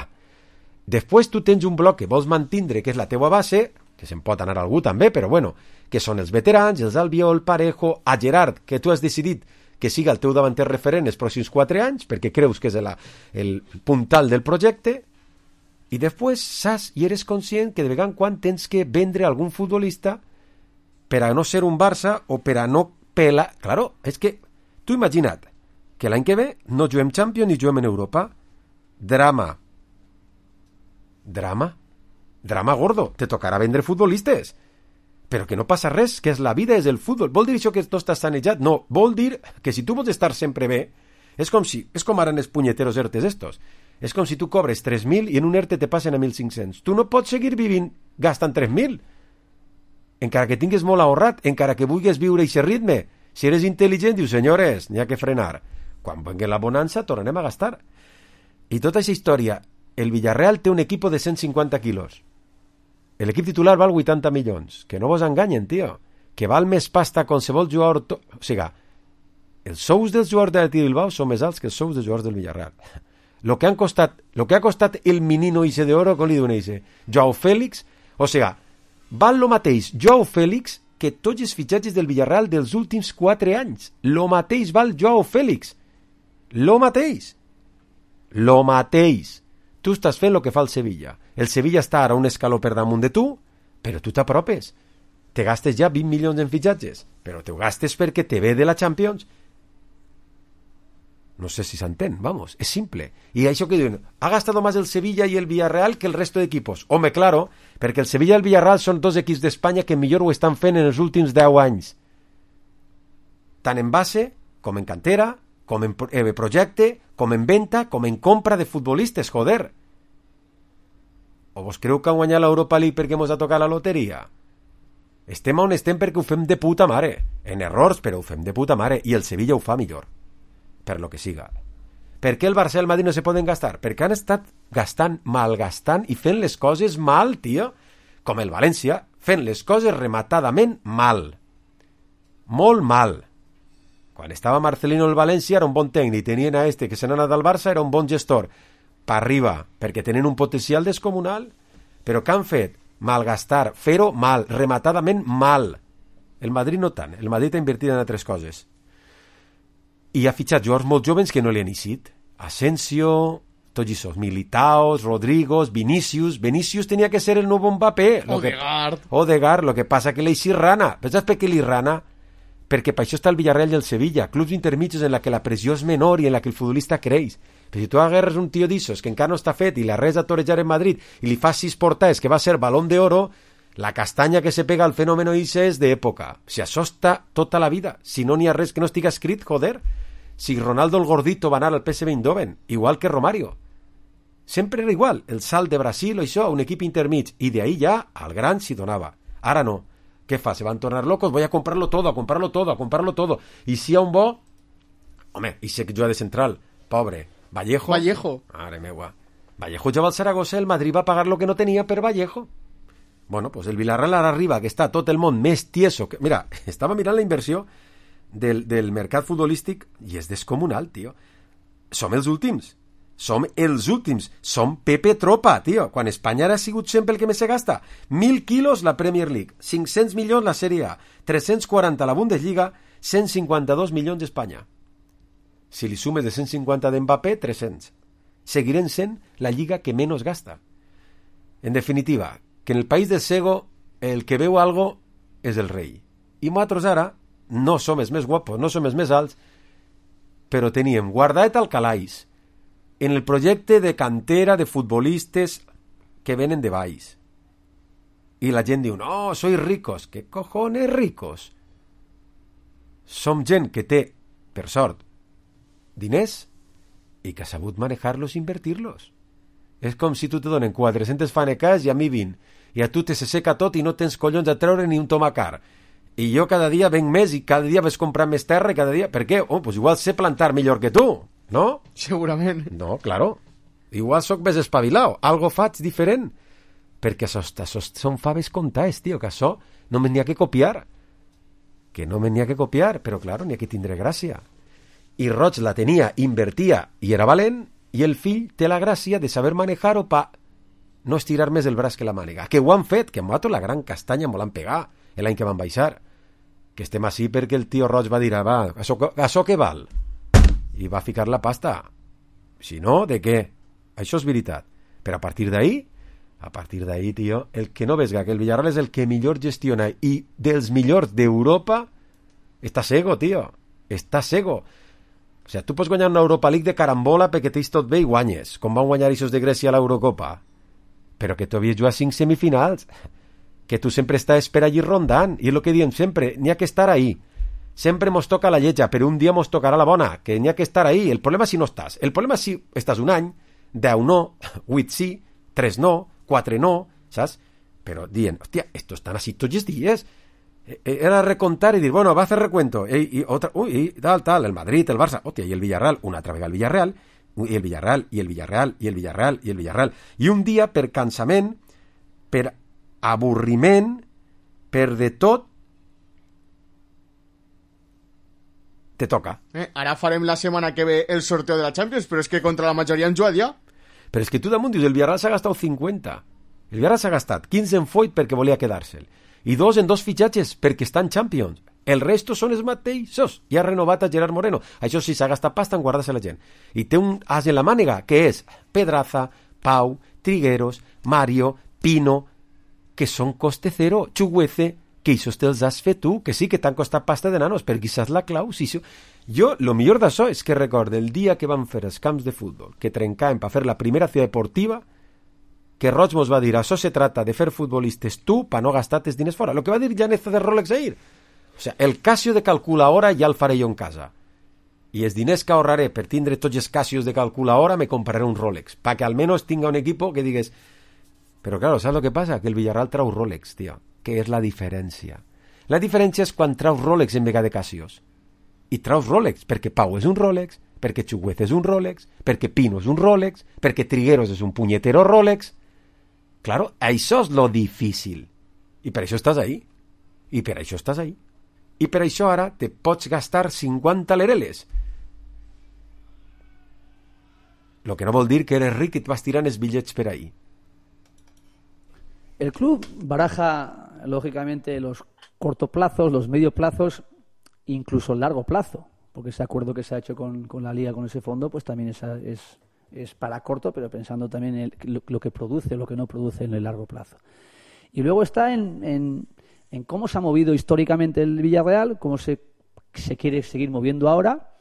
Després tu tens un bloc que vols mantindre, que és la teua base, que se'n pot anar algú també, però bueno, que són els veterans, els Albiol, Parejo, a Gerard, que tu has decidit que siga el teu davanter referent els pròxims quatre anys, perquè creus que és el, el puntal del projecte, i després saps i eres conscient que de vegada en quan tens que vendre algun futbolista per a no ser un Barça o per a no pelar... Claro, és que tu imagina't que l'any que ve no juguem Champions ni juguem en Europa. Drama. Drama? Drama gordo. Te tocarà vendre futbolistes. Però que no passa res, que és la vida, és el futbol. Vol dir això que no estàs sanejat? No, vol dir que si tu vols estar sempre bé, és com si, és com ara en els punyeteros ERTEs estos. És com si tu cobres tres mil i en un ERTE te passen a mil cinc-cents. Tu no pots seguir vivint gastant tres mil. Encara que tingues molt ahorrat, encara que vulguis viure aquest ritme. Si eres intel·ligent, dius, senyores, n'hi ha que frenar. Quan vengui la bonança, tornem a gastar. I tota aquesta història, el Villarreal té un equip de cent cinquanta quilos. L'equip titular val vuitanta milions. Que no vos enganyen, tio. Que val més pasta qualsevol jugador... To... O sigui, els sous dels jugadors de l'Atlètic Bilbao són més alts que els sous dels jugadors del Villarreal. Lo que han costat, lo que ha costat el menino ese de oro, com li diuen ese, Joao Félix, o sigui, val lo mateix Joao Félix que tots els fitxatges del Villarreal dels últims quatre anys. Lo mateix val Joao Félix. Lo mateix. Lo mateix. Tu estàs fent el que fa el Sevilla. El Sevilla està ara un escaló per damunt de tu, però tu t'apropes. Te gastes ja vint milions en fitxatges, però te ho gastes perquè te ve de la Champions. No sé si s'entén, vamos, es simple. Y això que diuen, ha gastado más el Sevilla y el Villarreal que el resto de equipos. Home, claro, perquè el Sevilla i el Villarreal són dos equips d'Espanya que millor ho estan fent en els últims deu anys. Tant en base, com en cantera, com en eh, projecte, com en venta, com en compra de futbolistes, joder. O vos creu que han guanyat l'Europa League perquè mos ha tocat la loteria? Estem on estem perquè ho fem de puta mare. En errors, però ho fem de puta mare. I el Sevilla ho fa millor. Per lo que siga. Per què el Barça i el Madrid no se poden gastar? Perquè han estat gastant, malgastant i fent les coses mal, tio. Com el València, fent les coses rematadament mal. Molt mal. Quan estava Marcelino el València era un bon tècnic. Tenien a este que se n'ha anat al Barça, era un bon gestor. Pa arriba, perquè tenen un potencial descomunal. Però què han fet? Malgastar, fer-ho mal, rematadament mal. El Madrid no tant. El Madrid ha invertit en altres coses. I ha fitxat jugadors molt joves que no li han eixit. Asensio, tots això, Militao, Rodrigo, Vinicius. Vinicius tenia que ser el nou Mbappé. Odegaard. Que... Odegaard, lo que passa que l'eixi rana. Però saps per què li rana? Perquè per això està el Villarreal i el Sevilla, clubs intermitjos en la que la pressió és menor i en la que el futbolista creix. Però si tu agarres un tio d'issos que encara no està fet i l'arres a torejar en Madrid i li fas sis portades que va ser Balón de Oro, la castanya que se pega al fenòmeno ixe és d'època. Si això està tota la vida, si no n'hi ha res que no estigui escrit, joder. Si Ronaldo el Gordito va anar al P S V Eindhoven, igual que Romario. Sempre era igual, el salt de Brasil o això, un equip intermig, i d'ahí ja al gran s'hi donava. Ara no. Què fa? Se van tornar locos, voy a comprarlo todo, a comprarlo todo, a comprarlo todo. I si hi ha un bo... Home, i sé que juga de central. Pobre. Vallejo. Vallejo. Mare meua. Vallejo jugava al Zaragoza, el Madrid va pagar lo que no tenia per Vallejo. Bueno, pues el Villarreal ara arriba, que està tot el món més tieso. Que... Mira, estava mirant la inversió del, del mercat futbolístic i és descomunal, tio. Som els últims. Som els últims. Som Pepe Tropa, tio. Quan Espanya ha sigut sempre el que més se gasta. Mil quilos la Premier League, cinc-cents milions la Serie A, tres-cents quaranta la Bundesliga, cent cinquanta-dos milions Espanya. Si li sumes de cent cinquanta d'Mbappé, tres-cents. Seguirem sent la lliga que menys gasta. En definitiva, que en el país del cego el que veu algo és el rei. I nosaltres ara no som els més guapos, no som els més alts, però teníem guardat al calaix en el projecte de cantera de futbolistes que venen de baix. I la gent diu, no, sois ricos. ¿Qué cojones ricos? Som gent que té, per sort, diners i que ha sabut manejar-los i invertir-los. És com si tu te donen quatre-centes fanecas i a mi vint. I a tu te se seca tot i no tens collons a treure ni un tomacar. I jo cada dia venc més i cada dia ves comprar més terra i cada dia... Per què? Oh, pues igual sé plantar millor que tu, no? Segurament. No, claro. Igual sóc més espavilao. Algo faig diferent. Perquè això, això són faves comptades, tio, que això no me n'hi ha que copiar. Que no me n'hi ha que copiar, però claro, n'hi ha que tindre gràcia. I Roig la tenia, invertia i era valent, i el fill té la gràcia de saber manejar-ho pa no estirar més el braç que la màniga. Que ho han fet, que m'ho la gran castanya m'ho l'han pegat l'any que van baixar. Que estem així perquè el tio Roig va dir, va, això, això què val? I va ficar la pasta. Si no, de què? Això és veritat. Però a partir d'ahí, a partir d'ahí, tio, el que no vesga, que el Villarreal és el que millor gestiona i dels millors d'Europa, està cego, tio. Està cego. O sigui, tu pots guanyar una Europa League de carambola perquè tens tot bé i guanyes, com van guanyar eixos de Grècia a l'Eurocopa. Però que tu havies jugat cinc semifinals, que tu sempre estàs per allí rondant, i és el que diem sempre, n'hi ha que estar ahí. Sempre mos toca la lletja, però un dia mos tocarà la bona, que n'hi ha que estar ahí. El problema si no estàs. El problema si estàs un any, deu no, vuit sí, tres no, quatre no, saps? Però dient, hòstia, estos estan així tots els dies. Era recontar y decir, bueno, va a hacer recuento. Y, y otra, uy, y tal, tal, el Madrid, el Barça, hostia, y el Villarreal, una altra vegada el Villarreal, y el Villarreal, y el Villarreal, y el Villarreal, y el Villarreal. I un dia, per cansament, per avorriment, per de tot, te toca. Eh, ara farem la setmana que ve el sorteo de la Champions, però és que contra la majoria han jugat ja. Però és que tu damunt dius, el Villarreal s'ha gastat cinquanta. El Villarreal s'ha gastat quinze en Foyt perquè volia quedar-se'l. I dos en dos fitxatges perquè estan Champions. El resto són els mateixos. I ha renovat a Gerard Moreno. Això sí, s'ha gastat pasta en guardar-se la gent. I té un as en la mànega, que és Pedraza, Pau, Trigueros, Mario, Pino, que són coste cero, Chuguece, que això te'ls has fet tu, que sí que t'han costat pasta de nanos, perquè quizás la clau, sí, sí. Jo, lo millor d'això és que recordo el dia que van fer els camps de futbol, que trencàvem per fer la primera ciutat deportiva, que Roig mos va dir, això se trata de fer futbolistes tu pa no gastar tes diners fora. Lo que va dir Janeza de Rolex ahir. O sea, el Casio de calculadora ja el faré jo en casa. I els diners que ahorraré per tindre tots els Casios de calculadora me compraré un Rolex, pa que almenys tinga un equipo que digues... Però claro, ¿sabes lo que pasa? Que el Villarreal trau Rolex, tio. què és la diferència. La diferència és quan traus Rolex en vegada de Casios. I traus Rolex perquè Pau és un Rolex, perquè Chuguez és un Rolex, perquè Pino és un Rolex, perquè Trigueros és un punyetero Rolex. Claro, això és lo difícil. I per això estàs ahí. I per això estàs ahí. I per això ara te pots gastar cinquanta lereles. Lo que no vol dir que eres ric i et vas tirant els bitllets per ahí. El club baraja, lógicamente, los cortoplazos, los medioplazos, incluso el largo plazo, porque ese acuerdo que se ha hecho con, con la Liga, con ese fondo, pues también es, es, es para corto, pero pensando también en el, lo, lo que produce, lo que no produce en el largo plazo. Y luego está en, en, en cómo se ha movido históricamente el Villarreal, cómo se, se quiere seguir moviendo ahora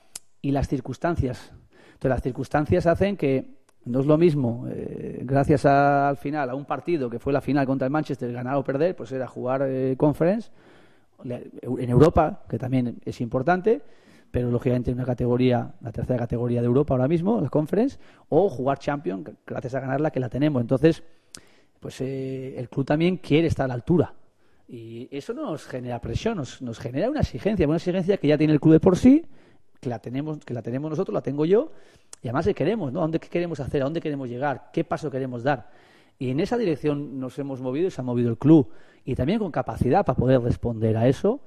y las circunstancias. Entonces, las circunstancias hacen que no es lo mismo, eh, gracias a, al final, a un partido que fue la final contra el Manchester, ganar o perder, pues era jugar eh, Conference en Europa, que también es importante, pero lógicamente en una categoría, la tercera categoría de Europa ahora mismo, la Conference, o jugar Champions, gracias a ganarla, que la tenemos. Entonces, pues eh, el club también quiere estar a la altura. Y eso no nos genera presión, nos, nos genera una exigencia, una exigencia que ya tiene el club de por sí, que la tenemos, que la tenemos nosotros, la tengo yo, y además que queremos, ¿no? ¿A dónde queremos hacer? ¿A dónde queremos llegar? ¿Qué paso queremos dar? Y en esa dirección nos hemos movido y se ha movido el club. Y también con capacidad para poder responder a eso.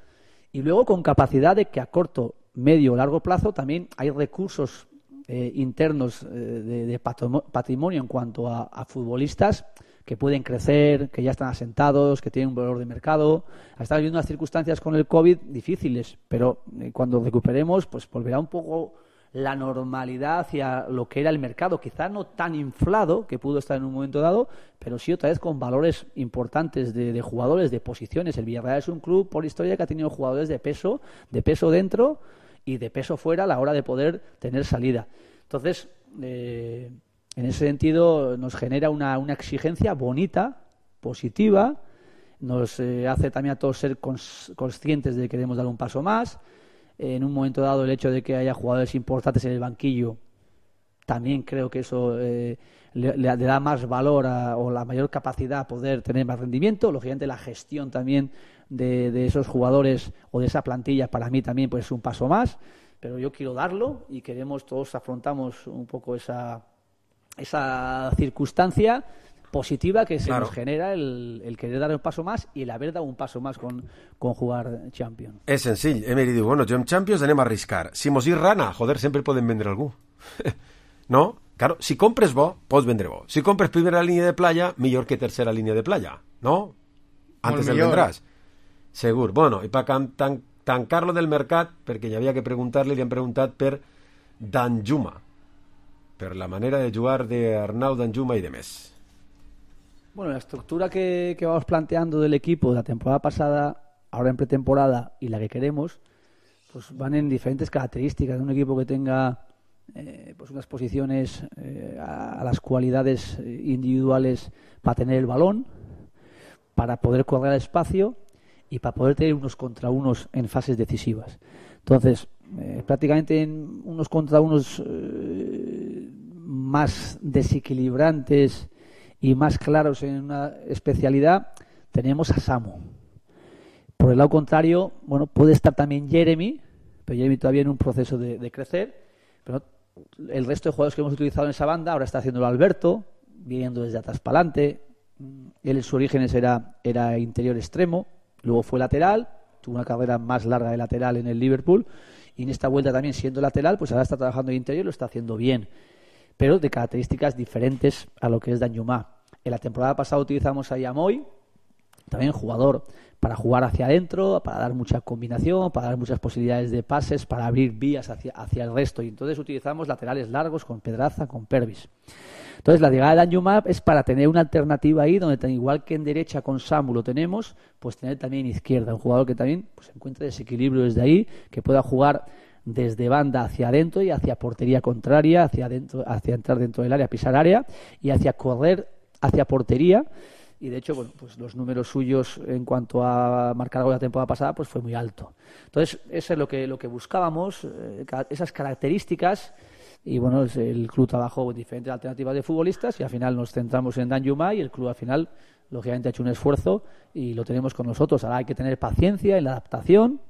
Y luego con capacidad de que a corto, medio o largo plazo también hay recursos eh, internos eh, de, de patrimonio en cuanto a, a futbolistas que pueden crecer, que ya están asentados, que tienen un valor de mercado. Estamos viviendo unas circunstancias con el COVID difíciles, pero eh, cuando recuperemos, pues volverá un poco la normalidad hacia lo que era el mercado, quizá no tan inflado que pudo estar en un momento dado, pero sí otra vez con valores importantes de, de jugadores, de posiciones. El Villarreal es un club por historia que ha tenido jugadores de peso, de peso dentro y de peso fuera a la hora de poder tener salida. Entonces, eh, en ese sentido nos genera una, una exigencia bonita, positiva, nos eh, hace también a todos ser cons- conscientes de que queremos dar un paso más. En un momento dado, el hecho de que haya jugadores importantes en el banquillo, también creo que eso eh, le, le da más valor a, o la mayor capacidad a poder tener más rendimiento. Lógicamente, la gestión también de, de esos jugadores o de esa plantilla, para mí también pues, es un paso más. Pero yo quiero darlo y queremos, todos afrontamos un poco esa, esa circunstancia positiva que se claro. nos genera el, el querer dar un paso más i el haver dado un paso más con, con jugar Champions. És senzill. Emery diu, bueno, jo en Champions anem a arriscar. Si mos hi rana, joder, sempre podem vendre algú. ¿No? Claro, si compres bo, pots vendre bo. Si compres primera línia de playa, millor que tercera línia de playa. ¿No? Antes el vendràs. Segur. Bueno, i per tan, tancar-lo del mercat, perquè hi havia que preguntar-li, li han preguntat per Danjuma, per la manera de jugar d'Arnau Danjuma i de més. Bueno, la estructura que, que vamos planteando del equipo de la temporada pasada, ahora en pretemporada y la que queremos, pues van en diferentes características. Un equipo que tenga eh, pues unas posiciones eh, a, a las cualidades individuales para tener el balón, para poder correr al espacio y para poder tener unos contra unos en fases decisivas. Entonces, eh, prácticamente en unos contra unos eh, más desequilibrantes y más claros en una especialidad, tenemos a Samu. Por el lado contrario, bueno, puede estar también Jeremy, pero Jeremy todavía en un proceso de, de crecer, pero el resto de jugadores que hemos utilizado en esa banda, ahora está haciéndolo Alberto, viniendo desde atrás para adelante. Él en sus orígenes era, era interior extremo, luego fue lateral, tuvo una carrera más larga de lateral en el Liverpool, y en esta vuelta también siendo lateral, pues ahora está trabajando de interior y lo está haciendo bien, pero de características diferentes a lo que es Danjuma. En la temporada pasada utilizamos a Yamoy, también jugador para jugar hacia adentro, para dar mucha combinación, para dar muchas posibilidades de pases, para abrir vías hacia, hacia el resto. Y entonces utilizamos laterales largos con Pedraza, con Pervis. Entonces la llegada de Danjuma es para tener una alternativa ahí, donde igual que en derecha con Samu lo tenemos, pues tener también en izquierda un jugador que también pues, encuentre desequilibrio desde ahí, que pueda jugar desde banda hacia adentro y hacia portería contraria, hacia adentro, hacia entrar dentro del área, pisar área y hacia correr hacia portería. Y de hecho, bueno, pues los números suyos en cuanto a marcar algo de la temporada pasada pues fue muy alto. Entonces, eso es lo que lo que buscábamos, eh, esas características. Y bueno, el club trabajó en diferentes alternativas de futbolistas y al final nos centramos en Danjuma y el club al final lógicamente ha hecho un esfuerzo y lo tenemos con nosotros. Ahora hay que tener paciencia en la adaptación,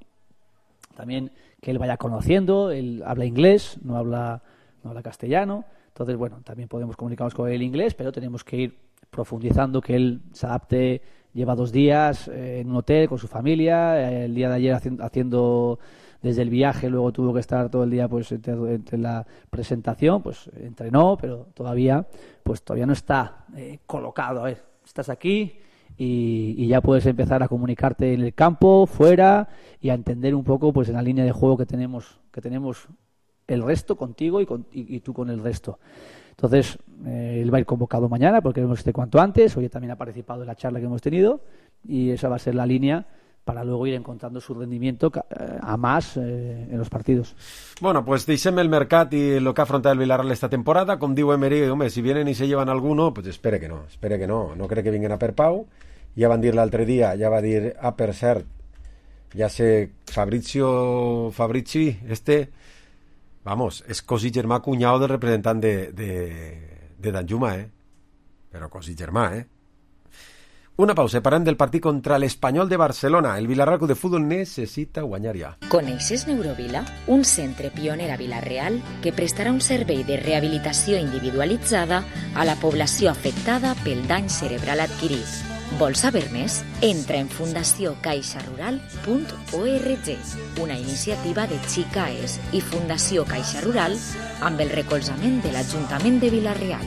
también que él vaya conociendo. Él habla inglés, no habla, no habla castellano, entonces bueno, también podemos comunicarnos con él en inglés, pero tenemos que ir profundizando, que él se adapte. Lleva dos días eh, en un hotel con su familia, eh, el día de ayer haci- haciendo desde el viaje, luego tuvo que estar todo el día pues entre, entre la presentación, pues entrenó, pero todavía pues todavía no está eh, colocado. A ver, estás aquí y, y ya puedes empezar a comunicarte en el campo, fuera, y a entender un poco pues en la línea de juego que tenemos que tenemos el resto contigo y, con, y, y tú con el resto. Entonces, eh, él va a ir convocado mañana porque queremos que esté cuanto antes. Hoy también ha participado en la charla que hemos tenido y esa va a ser la línea para luego ir encontrando su rendimiento eh, a más eh, en los partidos. Bueno, pues deixem el mercat i el que ha afrontat el Villarreal esta temporada. Com diu Emery, home, si vienen y se llevan alguno, pues espere que no, espere que no. No cree que vinguen a per Pau. Ja van dir l'altre dia, ja va dir, ah, per cert, ja sé, Fabrizio Fabrici, este... Vamos, és cosí germà cunyau del representant de, de, de Danjuma, eh? Però cosí germà, eh? Una pausa, parlem del partit contra l'Espanyol de Barcelona. El Villarreal Club de Futbol necessita guanyar ja. Coneixes Neurovila? Un centre pioner a Vila-real que prestarà un servei de rehabilitació individualitzada a la població afectada pel dany cerebral adquirit. Vols saber més? Entra en fundació caixa rural punt org, una iniciativa de Xicaes i Fundació Caixa Rural amb el recolzament de l'Ajuntament de Vila-real.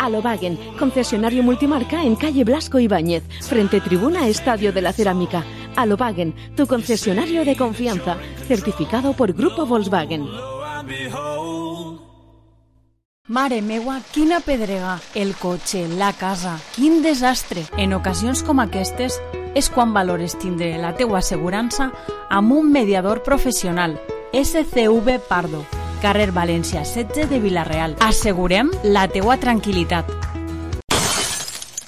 Alobagen, concesionario multimarca en calle Blasco Ibáñez, frente tribuna Estadio de la Cerámica. Alobagen, tu concesionario de confianza, certificado por Grupo Volkswagen. Mare meua, quina pedrega, el cotxe, la casa, quin desastre. En ocasions com aquestes és quan valores tindre la teua assegurança amb un mediador professional, S C V Pardo, carrer València setze de Vila-real. Assegurem la teua tranquil·litat.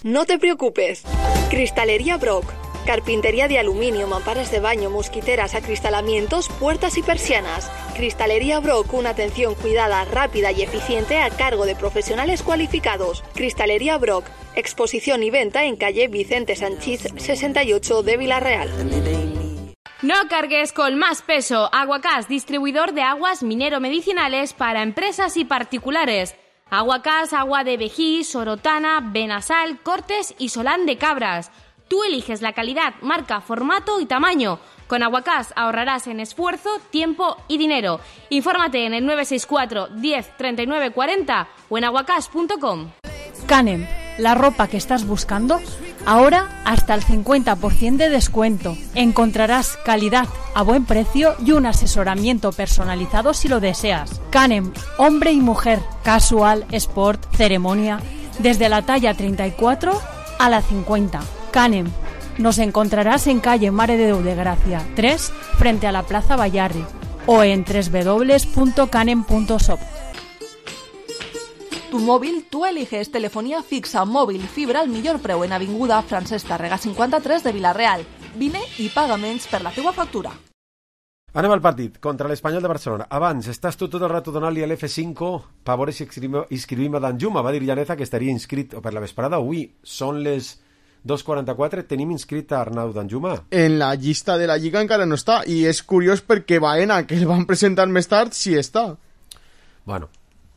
No te preocupes. Cristalería Brock. Carpintería de aluminio, mamparas de baño, mosquiteras, acristalamientos, puertas y persianas. Cristalería Brock, una atención cuidada, rápida y eficiente a cargo de profesionales cualificados. Cristalería Brock, exposición y venta en calle Vicente Sanchís sesenta y ocho de Vila-real. No cargues con más peso. Aguacás, distribuidor de aguas minero-medicinales para empresas y particulares. Aguacás, agua de Vejí, Sorotana, Benasal, Cortes y Solán de Cabras. Tú eliges la calidad, marca, formato y tamaño. Con Aguacás ahorrarás en esfuerzo, tiempo y dinero. Infórmate en el nueve seis cuatro, diez, treinta y nueve cuarenta o en aguacás punto com. Canem, la ropa que estás buscando, ahora hasta el cincuenta por ciento de descuento. Encontrarás calidad a buen precio y un asesoramiento personalizado si lo deseas. Canem, hombre y mujer, casual, sport, ceremonia, desde la talla treinta y cuatro a la cincuenta. Canem, nos encontrarás en calle Mare de Déu de Gracia tres, frente a la Plaza Bayarri, o en doble u doble u doble u punto canem punto shop. Tu móvil, tú eliges telefonía fixa, móvil, fibra al millor preu en Avinguda Francesc Tàrrega cinquanta-tres de Vila-real. Vine i paga menys per la teua factura. Anem al partit contra l'Espanyol de Barcelona. Abans, estàs tu tot el rato donant-li a l'F cinco per veure si inscrivim a Danjuma. Va dir Llaneza que estaria inscrit per la vesprada. Avui són les dos quaranta-quatre. Tenim inscrit a Arnau Danjuma. En la llista de la Lliga encara no està. I és curiós perquè Baena, que el van presentar més tard, sí està. Bueno,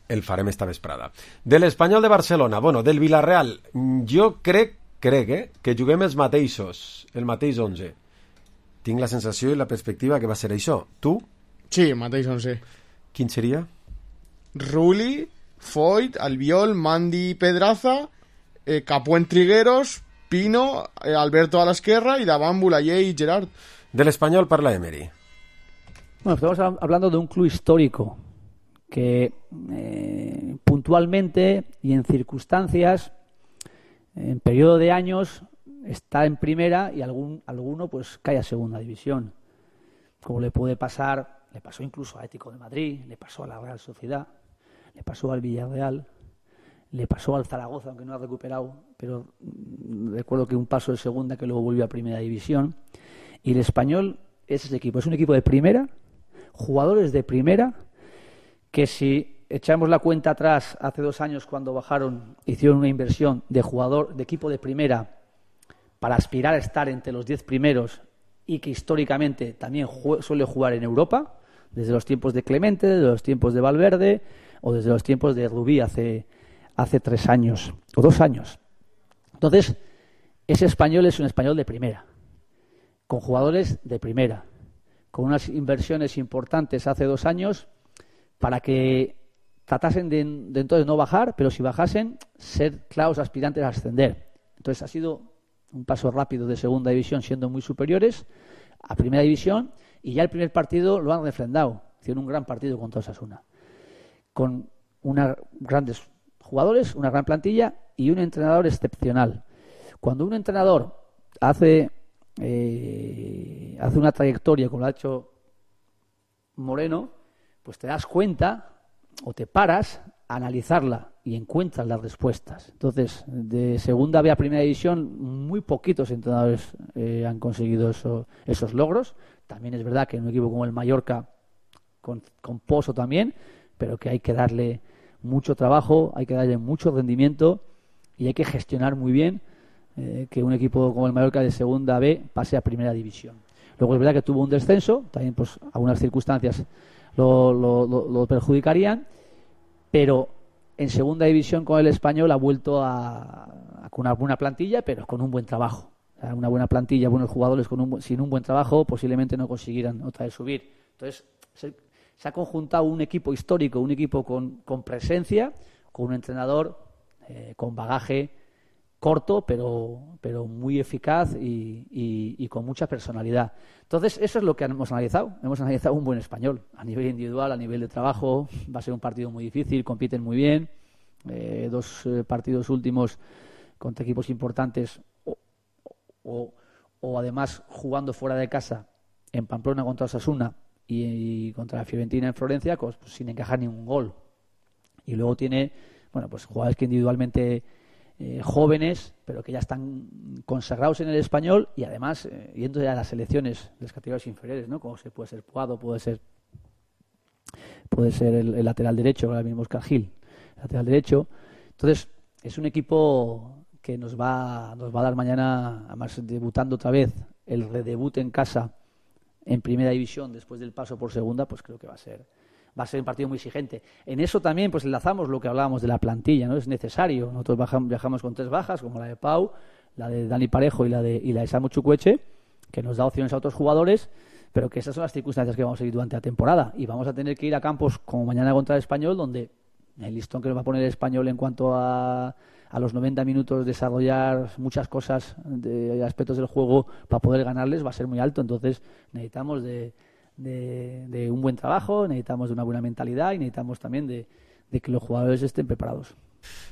el farem esta vesprada. De l'Espanyol de Barcelona, bueno, del Villarreal, jo crec, crec, eh, que juguem els mateixos, el mateix onze. Tinc la sensació i la perspectiva que va ser això. Tu? Sí, el mateix onze. Quin seria? Rulli, Foyt, Albiol, Mandi, Pedraza, eh, Capuent Trigueros, Pino, eh, Alberto a l'esquerra y davant Bulayer y Gerard. Del Espanyol parla Emery. Bueno, estamos hablando de un club histórico que eh, puntualmente y en circunstancias, en periodo de años, está en primera y algún alguno pues cae a segunda división. Como le puede pasar, le pasó incluso a Atlético de Madrid, le pasó a la Real Sociedad, le pasó al Villarreal, le pasó al Zaragoza, aunque no ha recuperado, pero recuerdo que un paso de segunda que luego volvió a primera división. Y el Espanyol es ese equipo, es un equipo de primera, jugadores de primera, que si echamos la cuenta atrás, hace dos años cuando bajaron, hicieron una inversión de jugador, de equipo de primera, para aspirar a estar entre los diez primeros y que históricamente también jue- suele jugar en Europa, desde los tiempos de Clemente, desde los tiempos de Valverde o desde los tiempos de Rubí hace, hace tres años o dos años. Entonces, ese español es un español de primera, con jugadores de primera, con unas inversiones importantes hace dos años para que tratasen de, de entonces no bajar, pero si bajasen, ser claros aspirantes a ascender. Entonces ha sido un paso rápido de segunda división, siendo muy superiores a primera división, y ya el primer partido lo han refrendado. Hicieron un gran partido contra Osasuna, con unos grandes jugadores, una gran plantilla y un entrenador excepcional. Cuando un entrenador hace, eh, hace una trayectoria como lo ha hecho Moreno, pues te das cuenta o te paras a analizarla y encuentras las respuestas. Entonces, de segunda B a primera división, muy poquitos entrenadores eh, han conseguido eso, esos logros. También es verdad que en un equipo como el Mallorca, con, con Pozo también, pero que hay que darle mucho trabajo, hay que darle mucho rendimiento y hay que gestionar muy bien eh, que un equipo como el Mallorca de segunda B pase a primera división. Luego es verdad que tuvo un descenso, también pues algunas circunstancias lo, lo, lo, lo perjudicarían, pero en segunda división con el Español ha vuelto a, a con una buena plantilla, pero con un buen trabajo. O sea, una buena plantilla, buenos jugadores con un, sin un buen trabajo posiblemente no consiguieran otra vez subir. Entonces se, se ha conjuntado un equipo histórico, un equipo con, con presencia, con un entrenador eh, con bagaje corto, pero, pero muy eficaz y, y, y con mucha personalidad. Entonces, eso es lo que hemos analizado. Hemos analizado un buen español, a nivel individual, a nivel de trabajo. Va a ser un partido muy difícil, compiten muy bien. Eh, dos eh, partidos últimos contra equipos importantes o, o, o además jugando fuera de casa en Pamplona contra Osasuna y, y contra la Fiorentina en Florencia, pues, pues, sin encajar ningún gol. Y luego tiene, bueno, pues jugadores que individualmente Eh, jóvenes, pero que ya están consagrados en el español y además eh, yendo ya a las selecciones de las categorías inferiores, ¿no? Como se puede ser Puado, puede ser puede ser el, el lateral derecho, ahora mismo Oscar Gil, lateral derecho. Entonces, es un equipo que nos va, nos va a dar mañana, además debutando otra vez, el redebut en casa en primera división después del paso por segunda, pues creo que va a ser va a ser un partido muy exigente. En eso también pues enlazamos lo que hablábamos de la plantilla, ¿no? Es necesario. Nosotros bajamos, viajamos con tres bajas, como la de Pau, la de Dani Parejo y la de, y la de Samu Chukwueze, que nos da opciones a otros jugadores, pero que esas son las circunstancias que vamos a seguir durante la temporada. Y vamos a tener que ir a campos como mañana contra el Español, donde el listón que nos va a poner el Español en cuanto a, a los noventa minutos desarrollar muchas cosas de aspectos del juego para poder ganarles va a ser muy alto. Entonces necesitamos de De, de un buen trabajo, necesitamos de una buena mentalidad y necesitamos también de, de que los jugadores estén preparados.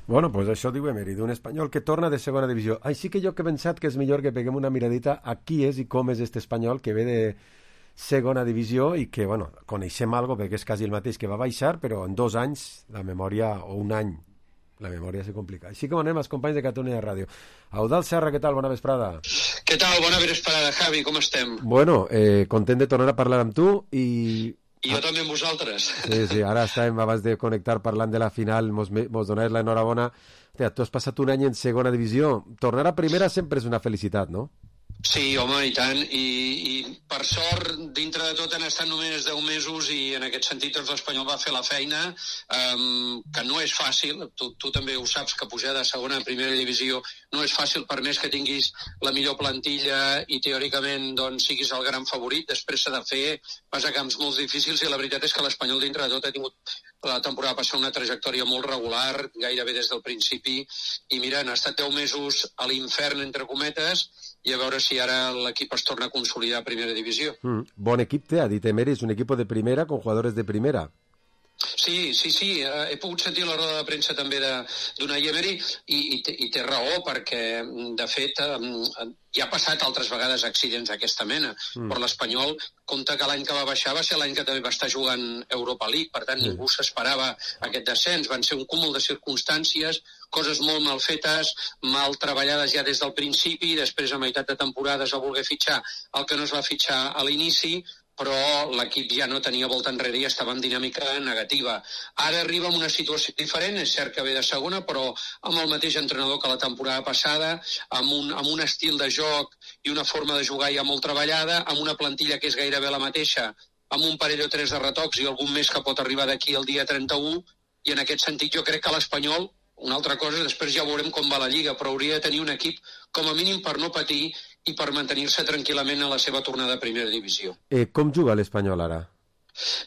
Bueno, pues això diu Emery, d'un espanyol que torna de segona divisió. Així que jo que he pensat que és millor que peguem una miradita a qui és i com és este espanyol que ve de segona divisió i que, bueno, coneixem algo perquè és quasi el mateix que va baixar, però en dos anys la memòria, o un any, la memòria se complica. Així que anem als companys de Catalunya Ràdio. Eudald Serra, què tal? Bona vesprada. Què tal? Bona vesprada, Javi, com estem? Bueno, eh, content de tornar a parlar amb tu i... I jo ah. també amb vosaltres. Sí, sí, ara estàvem abans de connectar parlant de la final, mos, mos donaves l'enhorabona. Hòstia, tu has passat un any en segona divisió. Tornar a primera sempre és una felicitat, no? Sí, home, i tant, I, i per sort, dintre de tot han estat només deu mesos i en aquest sentit doncs, l'Espanyol va fer la feina, um, que no és fàcil, tu, tu també ho saps, que pujar de segona a primera divisió no és fàcil, per més que tinguis la millor plantilla i teòricament doncs, siguis el gran favorit, després s'ha de fer, vas a camps molt difícils i la veritat és que l'Espanyol dintre de tot ha tingut la temporada passada una trajectòria molt regular, gairebé des del principi, i mira, han estat deu mesos a l'infern, entre cometes, i a veure si ara l'equip es torna a consolidar a primera divisió. Mm, bon equip té, ha dit Emery, és un equip de primera con jugadores de primera. Sí, sí, sí, he pogut sentir la roda de premsa també d'Unai Emery i, i, té, i té raó perquè, de fet, ja ha passat altres vegades accidents d'aquesta mena, mm. però l'Espanyol compta que l'any que va baixar va ser l'any que també va estar jugant Europa League, per tant, mm. ningú s'esperava aquest descens, van ser un cúmul de circumstàncies, coses molt mal fetes, mal treballades ja des del principi, i després a meitat de temporada es va voler fitxar el que no es va fitxar a l'inici, però l'equip ja no tenia volta enrere i estava en dinàmica negativa. Ara arriba en una situació diferent, és cert que ve de segona, però amb el mateix entrenador que la temporada passada, amb un, amb un estil de joc i una forma de jugar ja molt treballada, amb una plantilla que és gairebé la mateixa, amb un parell o tres de retocs i algun més que pot arribar d'aquí el dia trenta-u, i en aquest sentit jo crec que l'Espanyol, una altra cosa, després ja veurem com va la Lliga, però hauria de tenir un equip com a mínim per no patir i per mantenir-se tranquil·lament a la seva tornada a primera divisió. Eh, com juga l'Espanyol ara?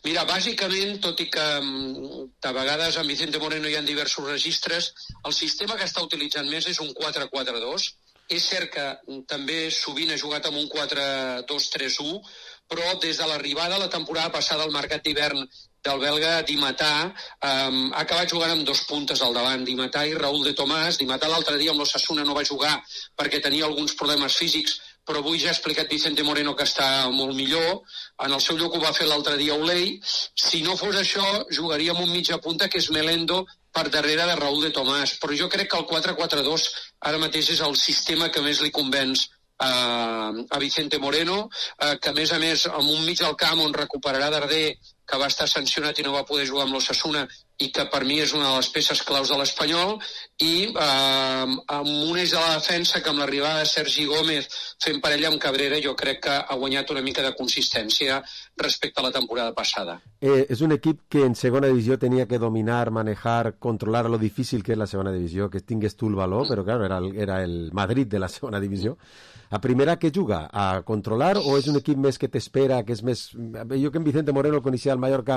Mira, bàsicament, tot i que de vegades amb Vicente Moreno hi ha diversos registres, el sistema que està utilitzant més és un quatre quatre dos. És cert que també sovint ha jugat amb un quatre dos tres u, però des de l'arribada la temporada passada al mercat d'hivern del belga Di Matà, um, ha acabat jugant amb dos puntes al davant, Di Matà i Raúl de Tomàs. Di Matà l'altre dia amb l'Osasuna no va jugar perquè tenia alguns problemes físics, però avui ja ha explicat Vicente Moreno que està molt millor. En el seu lloc ho va fer l'altre dia Olei. Si no fos això, jugaria amb un mitja punta que és Melendo per darrere de Raúl de Tomàs. Però jo crec que el quatre quatre dos ara mateix és el sistema que més li convenç a, a Vicente Moreno, eh, que a més a més amb un mig al camp on recuperarà Darder, que va estar sancionat i no va poder jugar amb l'Osasuna i que per mi és una de les peces claus de l'Espanyol, i eh, amb un eix de la defensa que amb l'arribada de Sergi Gómez fent parella amb Cabrera jo crec que ha guanyat una mica de consistència respecte a la temporada passada. Eh, és un equip que en segona divisió tenia que dominar, manejar, controlar lo difícil que és la segona divisió, que tingués tu el valor, però claro, era el, era el Madrid de la segona divisió. A primera, què juga? A controlar o és un equip més que t'espera, que és més... Jo que en Vicente Moreno el coneixia al Mallorca,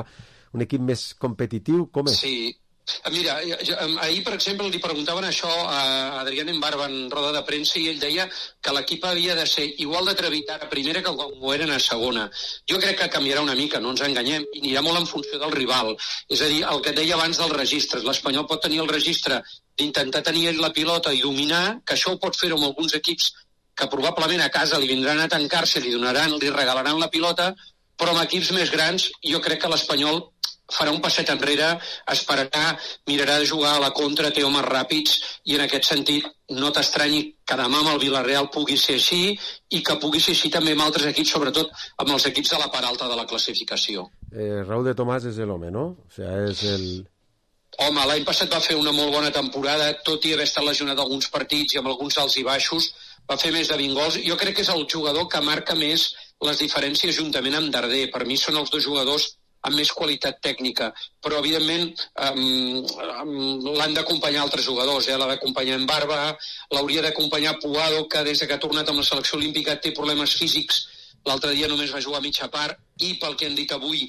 un equip més competitiu, com és? Sí. Mira, ahir, per exemple, li preguntaven això a Adrián Embarba en roda de premsa i ell deia que l'equip havia de ser igual d'atrevit a primera que quan ho eren a segona. Jo crec que canviarà una mica, no ens enganyem, i anirà molt en funció del rival. És a dir, el que et deia abans dels registres. L'Espanyol pot tenir el registre d'intentar tenir la pilota i dominar, que això ho pot fer amb alguns equips que probablement a casa li vindran a tancar-se, li donaran, li regalaran la pilota, però amb equips més grans jo crec que l'Espanyol farà un passet enrere, esperarà, mirarà de jugar a la contra, té homes ràpids, i en aquest sentit no t'estranyi que demà amb el Villarreal pugui ser així i que pugui ser així també amb altres equips, sobretot amb els equips de la part alta de la classificació. Eh, Raúl de Tomàs és l'home, no? O sigui, és el... Home, l'any passat va fer una molt bona temporada, tot i haver estat lesionat alguns partits i amb alguns alts i baixos, va fer més de vint gols. Jo crec que és el jugador que marca més les diferències juntament amb Darder. Per mi són els dos jugadors amb més qualitat tècnica, però evidentment um, um, l'han d'acompanyar altres jugadors, eh? L'ha d'acompanyar en Barba, l'hauria d'acompanyar Puado, que des que ha tornat amb la selecció olímpica té problemes físics, l'altre dia només va jugar a mitja part, i pel que han dit avui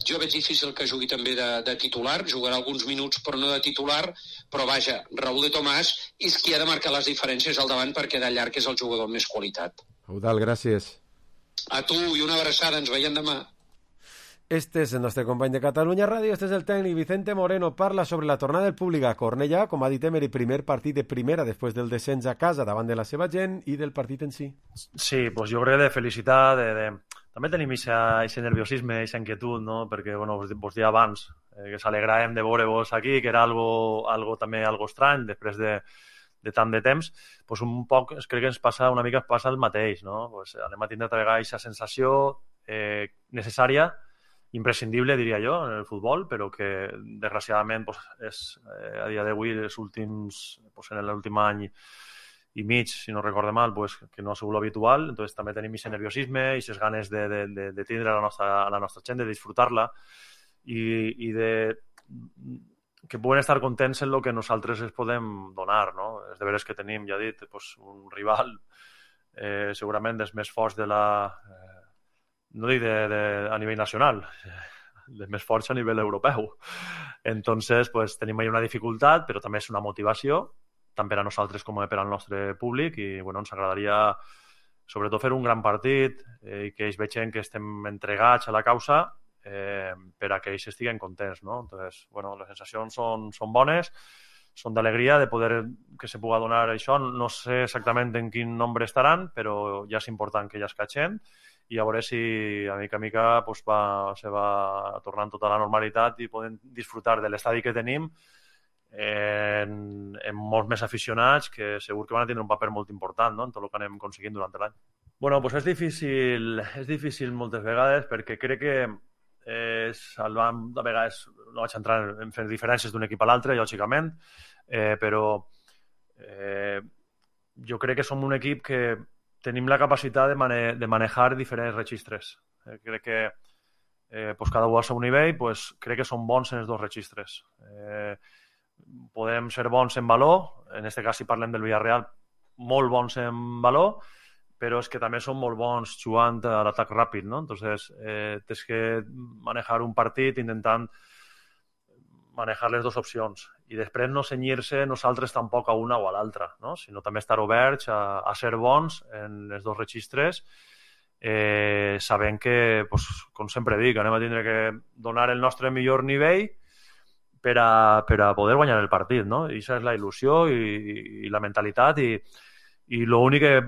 jo veig difícil que jugui també de, de titular, jugarà alguns minuts però no de titular, però vaja, Raúl de Tomàs és qui ha de marcar les diferències al davant perquè de llarg és el jugador amb més qualitat. Eudald, gràcies. A tu i una abraçada, ens veiem demà. Este és el nostre company de Catalunya Ràdio, este és el tècnic Vicente Moreno, parla sobre la tornada del públic a Cornellà, com ha dit Emery, primer partit de primera després del descens a casa davant de la seva gent i del partit en si. Sí, pues jo crec de felicitar, de, de... també tenim aquest nerviosisme, aquesta inquietud, no? Perquè, bueno, vos, vos dia abans, eh, que s'alegràvem de veure-vos aquí, que era algo, algo també algo estrany, després de, de tant de temps, pues un poc, crec que ens passa una mica, passa el mateix, no? Pues anem a tindre a vegades aquesta sensació eh, necessària, imprescindible, diria jo, en el futbol, però que, desgraciadament, pues, és, eh, a dia d'avui, els últims, pues, en l'últim any i mig, si no recorde mal, pues, que no ha sigut l'habitual. Entonces també tenim aquest nerviosisme i aquestes ganes de, de, de, de tindre la nostra, la nostra gent, de disfrutar-la i, i de que puguen estar contents en el que nosaltres els podem donar, no? Els deberes que tenim, ja he dit, pues, un rival eh, segurament dels més forts de la... Eh, no dic de, de, a nivell nacional, de més forts a nivell europeu. Entonces, pues, tenim ahí una dificultat, però també és una motivació, tant per a nosaltres com per al nostre públic, i bueno, ens agradaria sobretot fer un gran partit eh, i que ells vegin que estem entregats a la causa eh, per a que ells estiguen contents, no? Entonces, bueno, les sensacions són, són bones, són d'alegria de poder que se pugui donar això. No sé exactament en quin nombre estaran, però ja és important que ja es catxen, i a veure si a mica a mica pues, va, se va tornant tota la normalitat i podem disfrutar de l'estadi que tenim en, en molts més aficionats que segur que van a tindre un paper molt important, no? En tot el que anem aconseguint durant l'any. Bueno, pues és difícil, és difícil moltes vegades perquè crec que és, el vam, de vegades no vaig entrar en fer diferències d'un equip a l'altre, lògicament, eh, però eh, jo crec que som un equip que tenim la capacitat de, mane de manejar diferents registres. Eh, crec que eh, pues cada un al seu nivell, pues, crec que som bons en els dos registres. Eh, podem ser bons en valor, en aquest cas si parlem del Villarreal, molt bons en valor, però és que també són molt bons jugant a l'atac ràpid, no? Entonces, eh, tens que manejar un partit intentant manejar les dues opcions i després no cenyir-se nosaltres tampoc a una o a l'altra, no? Sinó també estar oberts a, a ser bons en els dos registres, eh, sabent que, pues, com sempre dic, anem a tindre que donar el nostre millor nivell per a, per a poder guanyar el partit, no? I això és la il·lusió i, i, i la mentalitat i, i l'únic que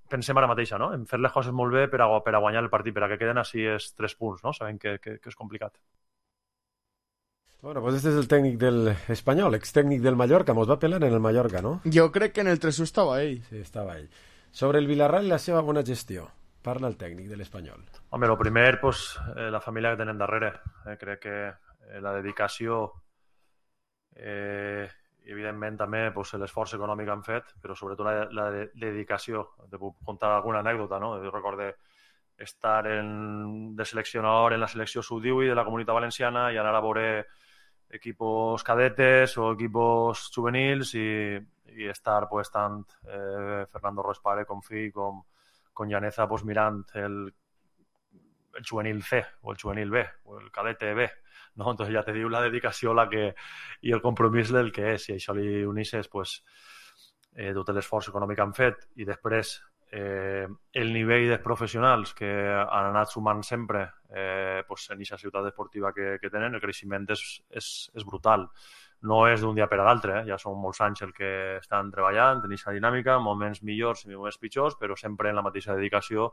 pensem ara mateixa, no? En fer les coses molt bé per a, per a guanyar el partit, per a que queden així els tres punts, no? Sabem que, que, que és complicat. Bueno, pues este es el técnic del Espanyol, ex-tècnic del Mallorca, mos va pelar en el Mallorca, no? Jo crec que en el tres u estava ell. Sí, estava ell. Sobre el Villarreal i la seva bona gestió, parla el tècnic de l'Espanyol. Home, el primer, pues, eh, la família que tenen darrere. Eh, crec que eh, la dedicació... Eh, i evidentment també pues, l'esforç econòmic que han fet, però sobretot la, la dedicació. Te puc contar alguna anècdota, no? Jo recordo estar en, de seleccionador en la selecció sub divuit de la Comunitat Valenciana i anar a veure equipos cadetes o equipos juvenils i, i estar pues, tant eh, Fernando Ruiz Pare com fill com, com Llaneza pues, mirant el, el juvenil C o el juvenil B o el cadete B. No? Entonces ja te diu la dedicació la que, i el compromís del que és. I això li unisses pues, eh, tot l'esforç econòmic que han fet i després eh, el nivell dels professionals que han anat sumant sempre eh, pues, en aquesta ciutat esportiva que, que tenen, el creixement és, és, és brutal. No és d'un dia per a l'altre, eh? Ja són molts anys el que estan treballant, en aquesta dinàmica, moments millors i moments pitjors, però sempre en la mateixa dedicació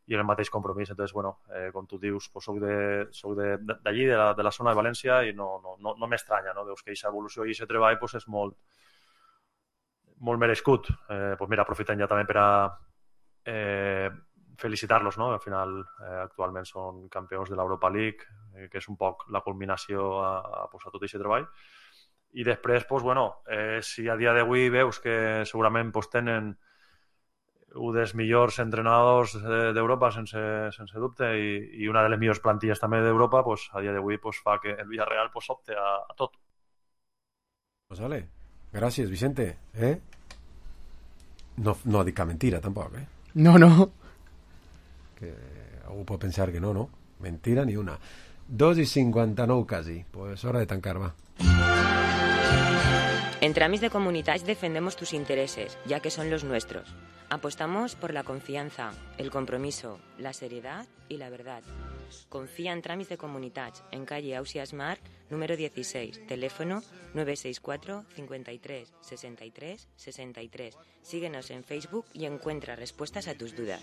i el mateix compromís. Entonces, bueno, eh, com tu dius, pues soc de, soc de, d'allí, de la, de la zona de València, i no, no, no, no m'estranya, no? Veus que aquesta evolució i aquest treball pues, és molt, molt merescut. Eh, pues mira, aprofitem ja també per a eh, felicitar-los, no? Al final, eh, actualment són campions de l'Europa League, eh, que és un poc la culminació a, a, pues, a tot aquest treball. I després, pues, bueno, eh, si a dia d'avui veus que segurament pues, tenen un dels millors entrenadors d'Europa, sense, sense dubte, i, i una de les millors plantilles també d'Europa, pues, a dia d'avui pues, fa que el Villarreal pues, opte a, a tot. Pues vale. Gràcies, Vicente. Eh? No, no dic cap mentira, tampoc, eh? No, no. Que algú pot pensar que no, no. Mentira ni una. dos i cinquanta-nou quasi. Pues hora de tancar, va. En Tramis de Comunitats defendemos tus intereses, ya que son los nuestros. Apostamos por la confianza, el compromiso, la seriedad y la verdad. Confía en Tramis de Comunitats, en calle Ausias Marc, número dieciséis, teléfono nueve seis cuatro, cincuenta y tres, sesenta y tres, sesenta y tres. Síguenos en Facebook y encuentra respuestas a tus dudas.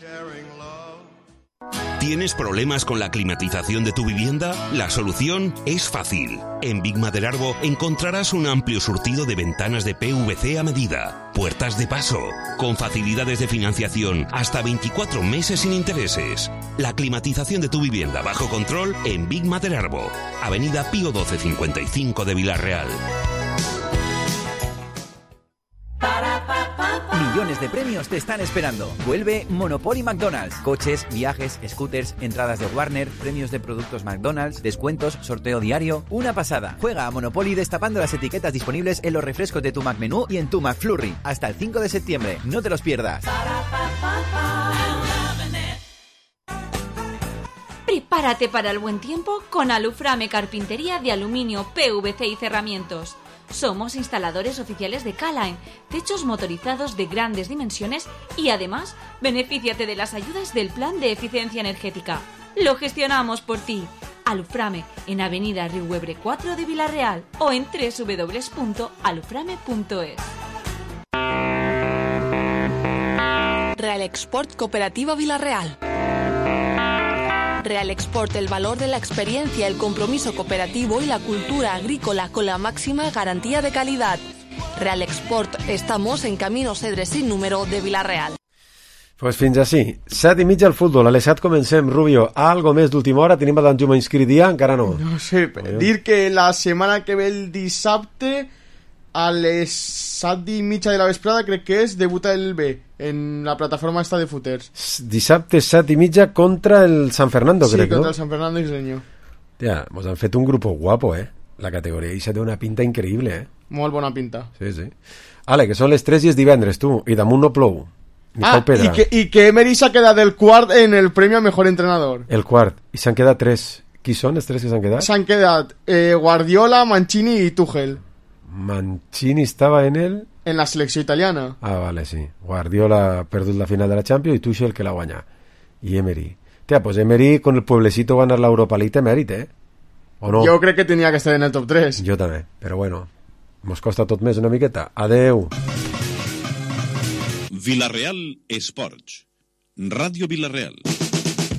¿Tienes problemas con la climatización de tu vivienda? La solución es fácil. En Big Maderarbo encontrarás un amplio surtido de ventanas de P V C a medida, puertas de paso, con facilidades de financiación hasta veinticuatro meses sin intereses. La climatización de tu vivienda bajo control en Big Maderarbo, Avenida Pío doce cincuenta y cinco de Villarreal. Millones de premios te están esperando. Vuelve Monopoly McDonald's. Coches, viajes, scooters, entradas de Warner, premios de productos McDonald's, descuentos, sorteo diario. Una pasada. Juega a Monopoly destapando las etiquetas disponibles en los refrescos de tu McMenú y en tu McFlurry. Hasta el cinco de septiembre. No te los pierdas. Prepárate para el buen tiempo con Aluframe Carpintería de Aluminio, P V C y Cerramientos. Somos instaladores oficiales de K-Line, techos motorizados de grandes dimensiones y además benefíciate de las ayudas del Plan de Eficiencia Energética. Lo gestionamos por ti. Aluframe en Avenida Riuebre cuatro de Villarreal o en doble u doble u doble u punto aluframe punto es. Real Export Cooperativa Villarreal. Real Export, el valor de la experiencia, el compromiso cooperativo y la cultura agrícola con la máxima garantía de calidad. Real Export, estamos en Camino Cedres sin número de Villarreal. Pues fins així. Set i mitja al futbol. A les set comencem, Rubio. Algo més d'última hora? Tenim a Danjuma inscrit ja? Encara no. No sé, dir que la setmana que ve el dissabte a les set i mitja de la vesprada, crec que és, debuta el B en la plataforma esta de footers. Dissabte set i mitja contra el San Fernando, sí, crec, no? Sí, contra el San Fernando isleño. Ja, mos han fet un grupo guapo, eh? La categoria i se té una pinta increïble, eh? Molt bona pinta. Sí, sí. Ale, que són les tres i és divendres, tu, i damunt no plou. Ni ah, i que, i que Emery s'ha quedat el quart en el premi a mejor entrenador. El quart, i s'han quedat tres. Qui són els tres que s'han quedat? S'han quedat eh, Guardiola, Mancini i Tuchel. Mancini estava en el... En la selecció italiana. Ah, vale, sí. Guardiola ha perdut la final de la Champions i Tuchel que la guanya. I Emery. Tia, pues Emery con el pueblecito ganar la Europa League té mèrit, eh? ¿O no? Jo crec que tenia que estar en el top tres. Jo també, però bueno, mos costa tot més una miqueta. Adeu. Villarreal Esports. Ràdio Villarreal.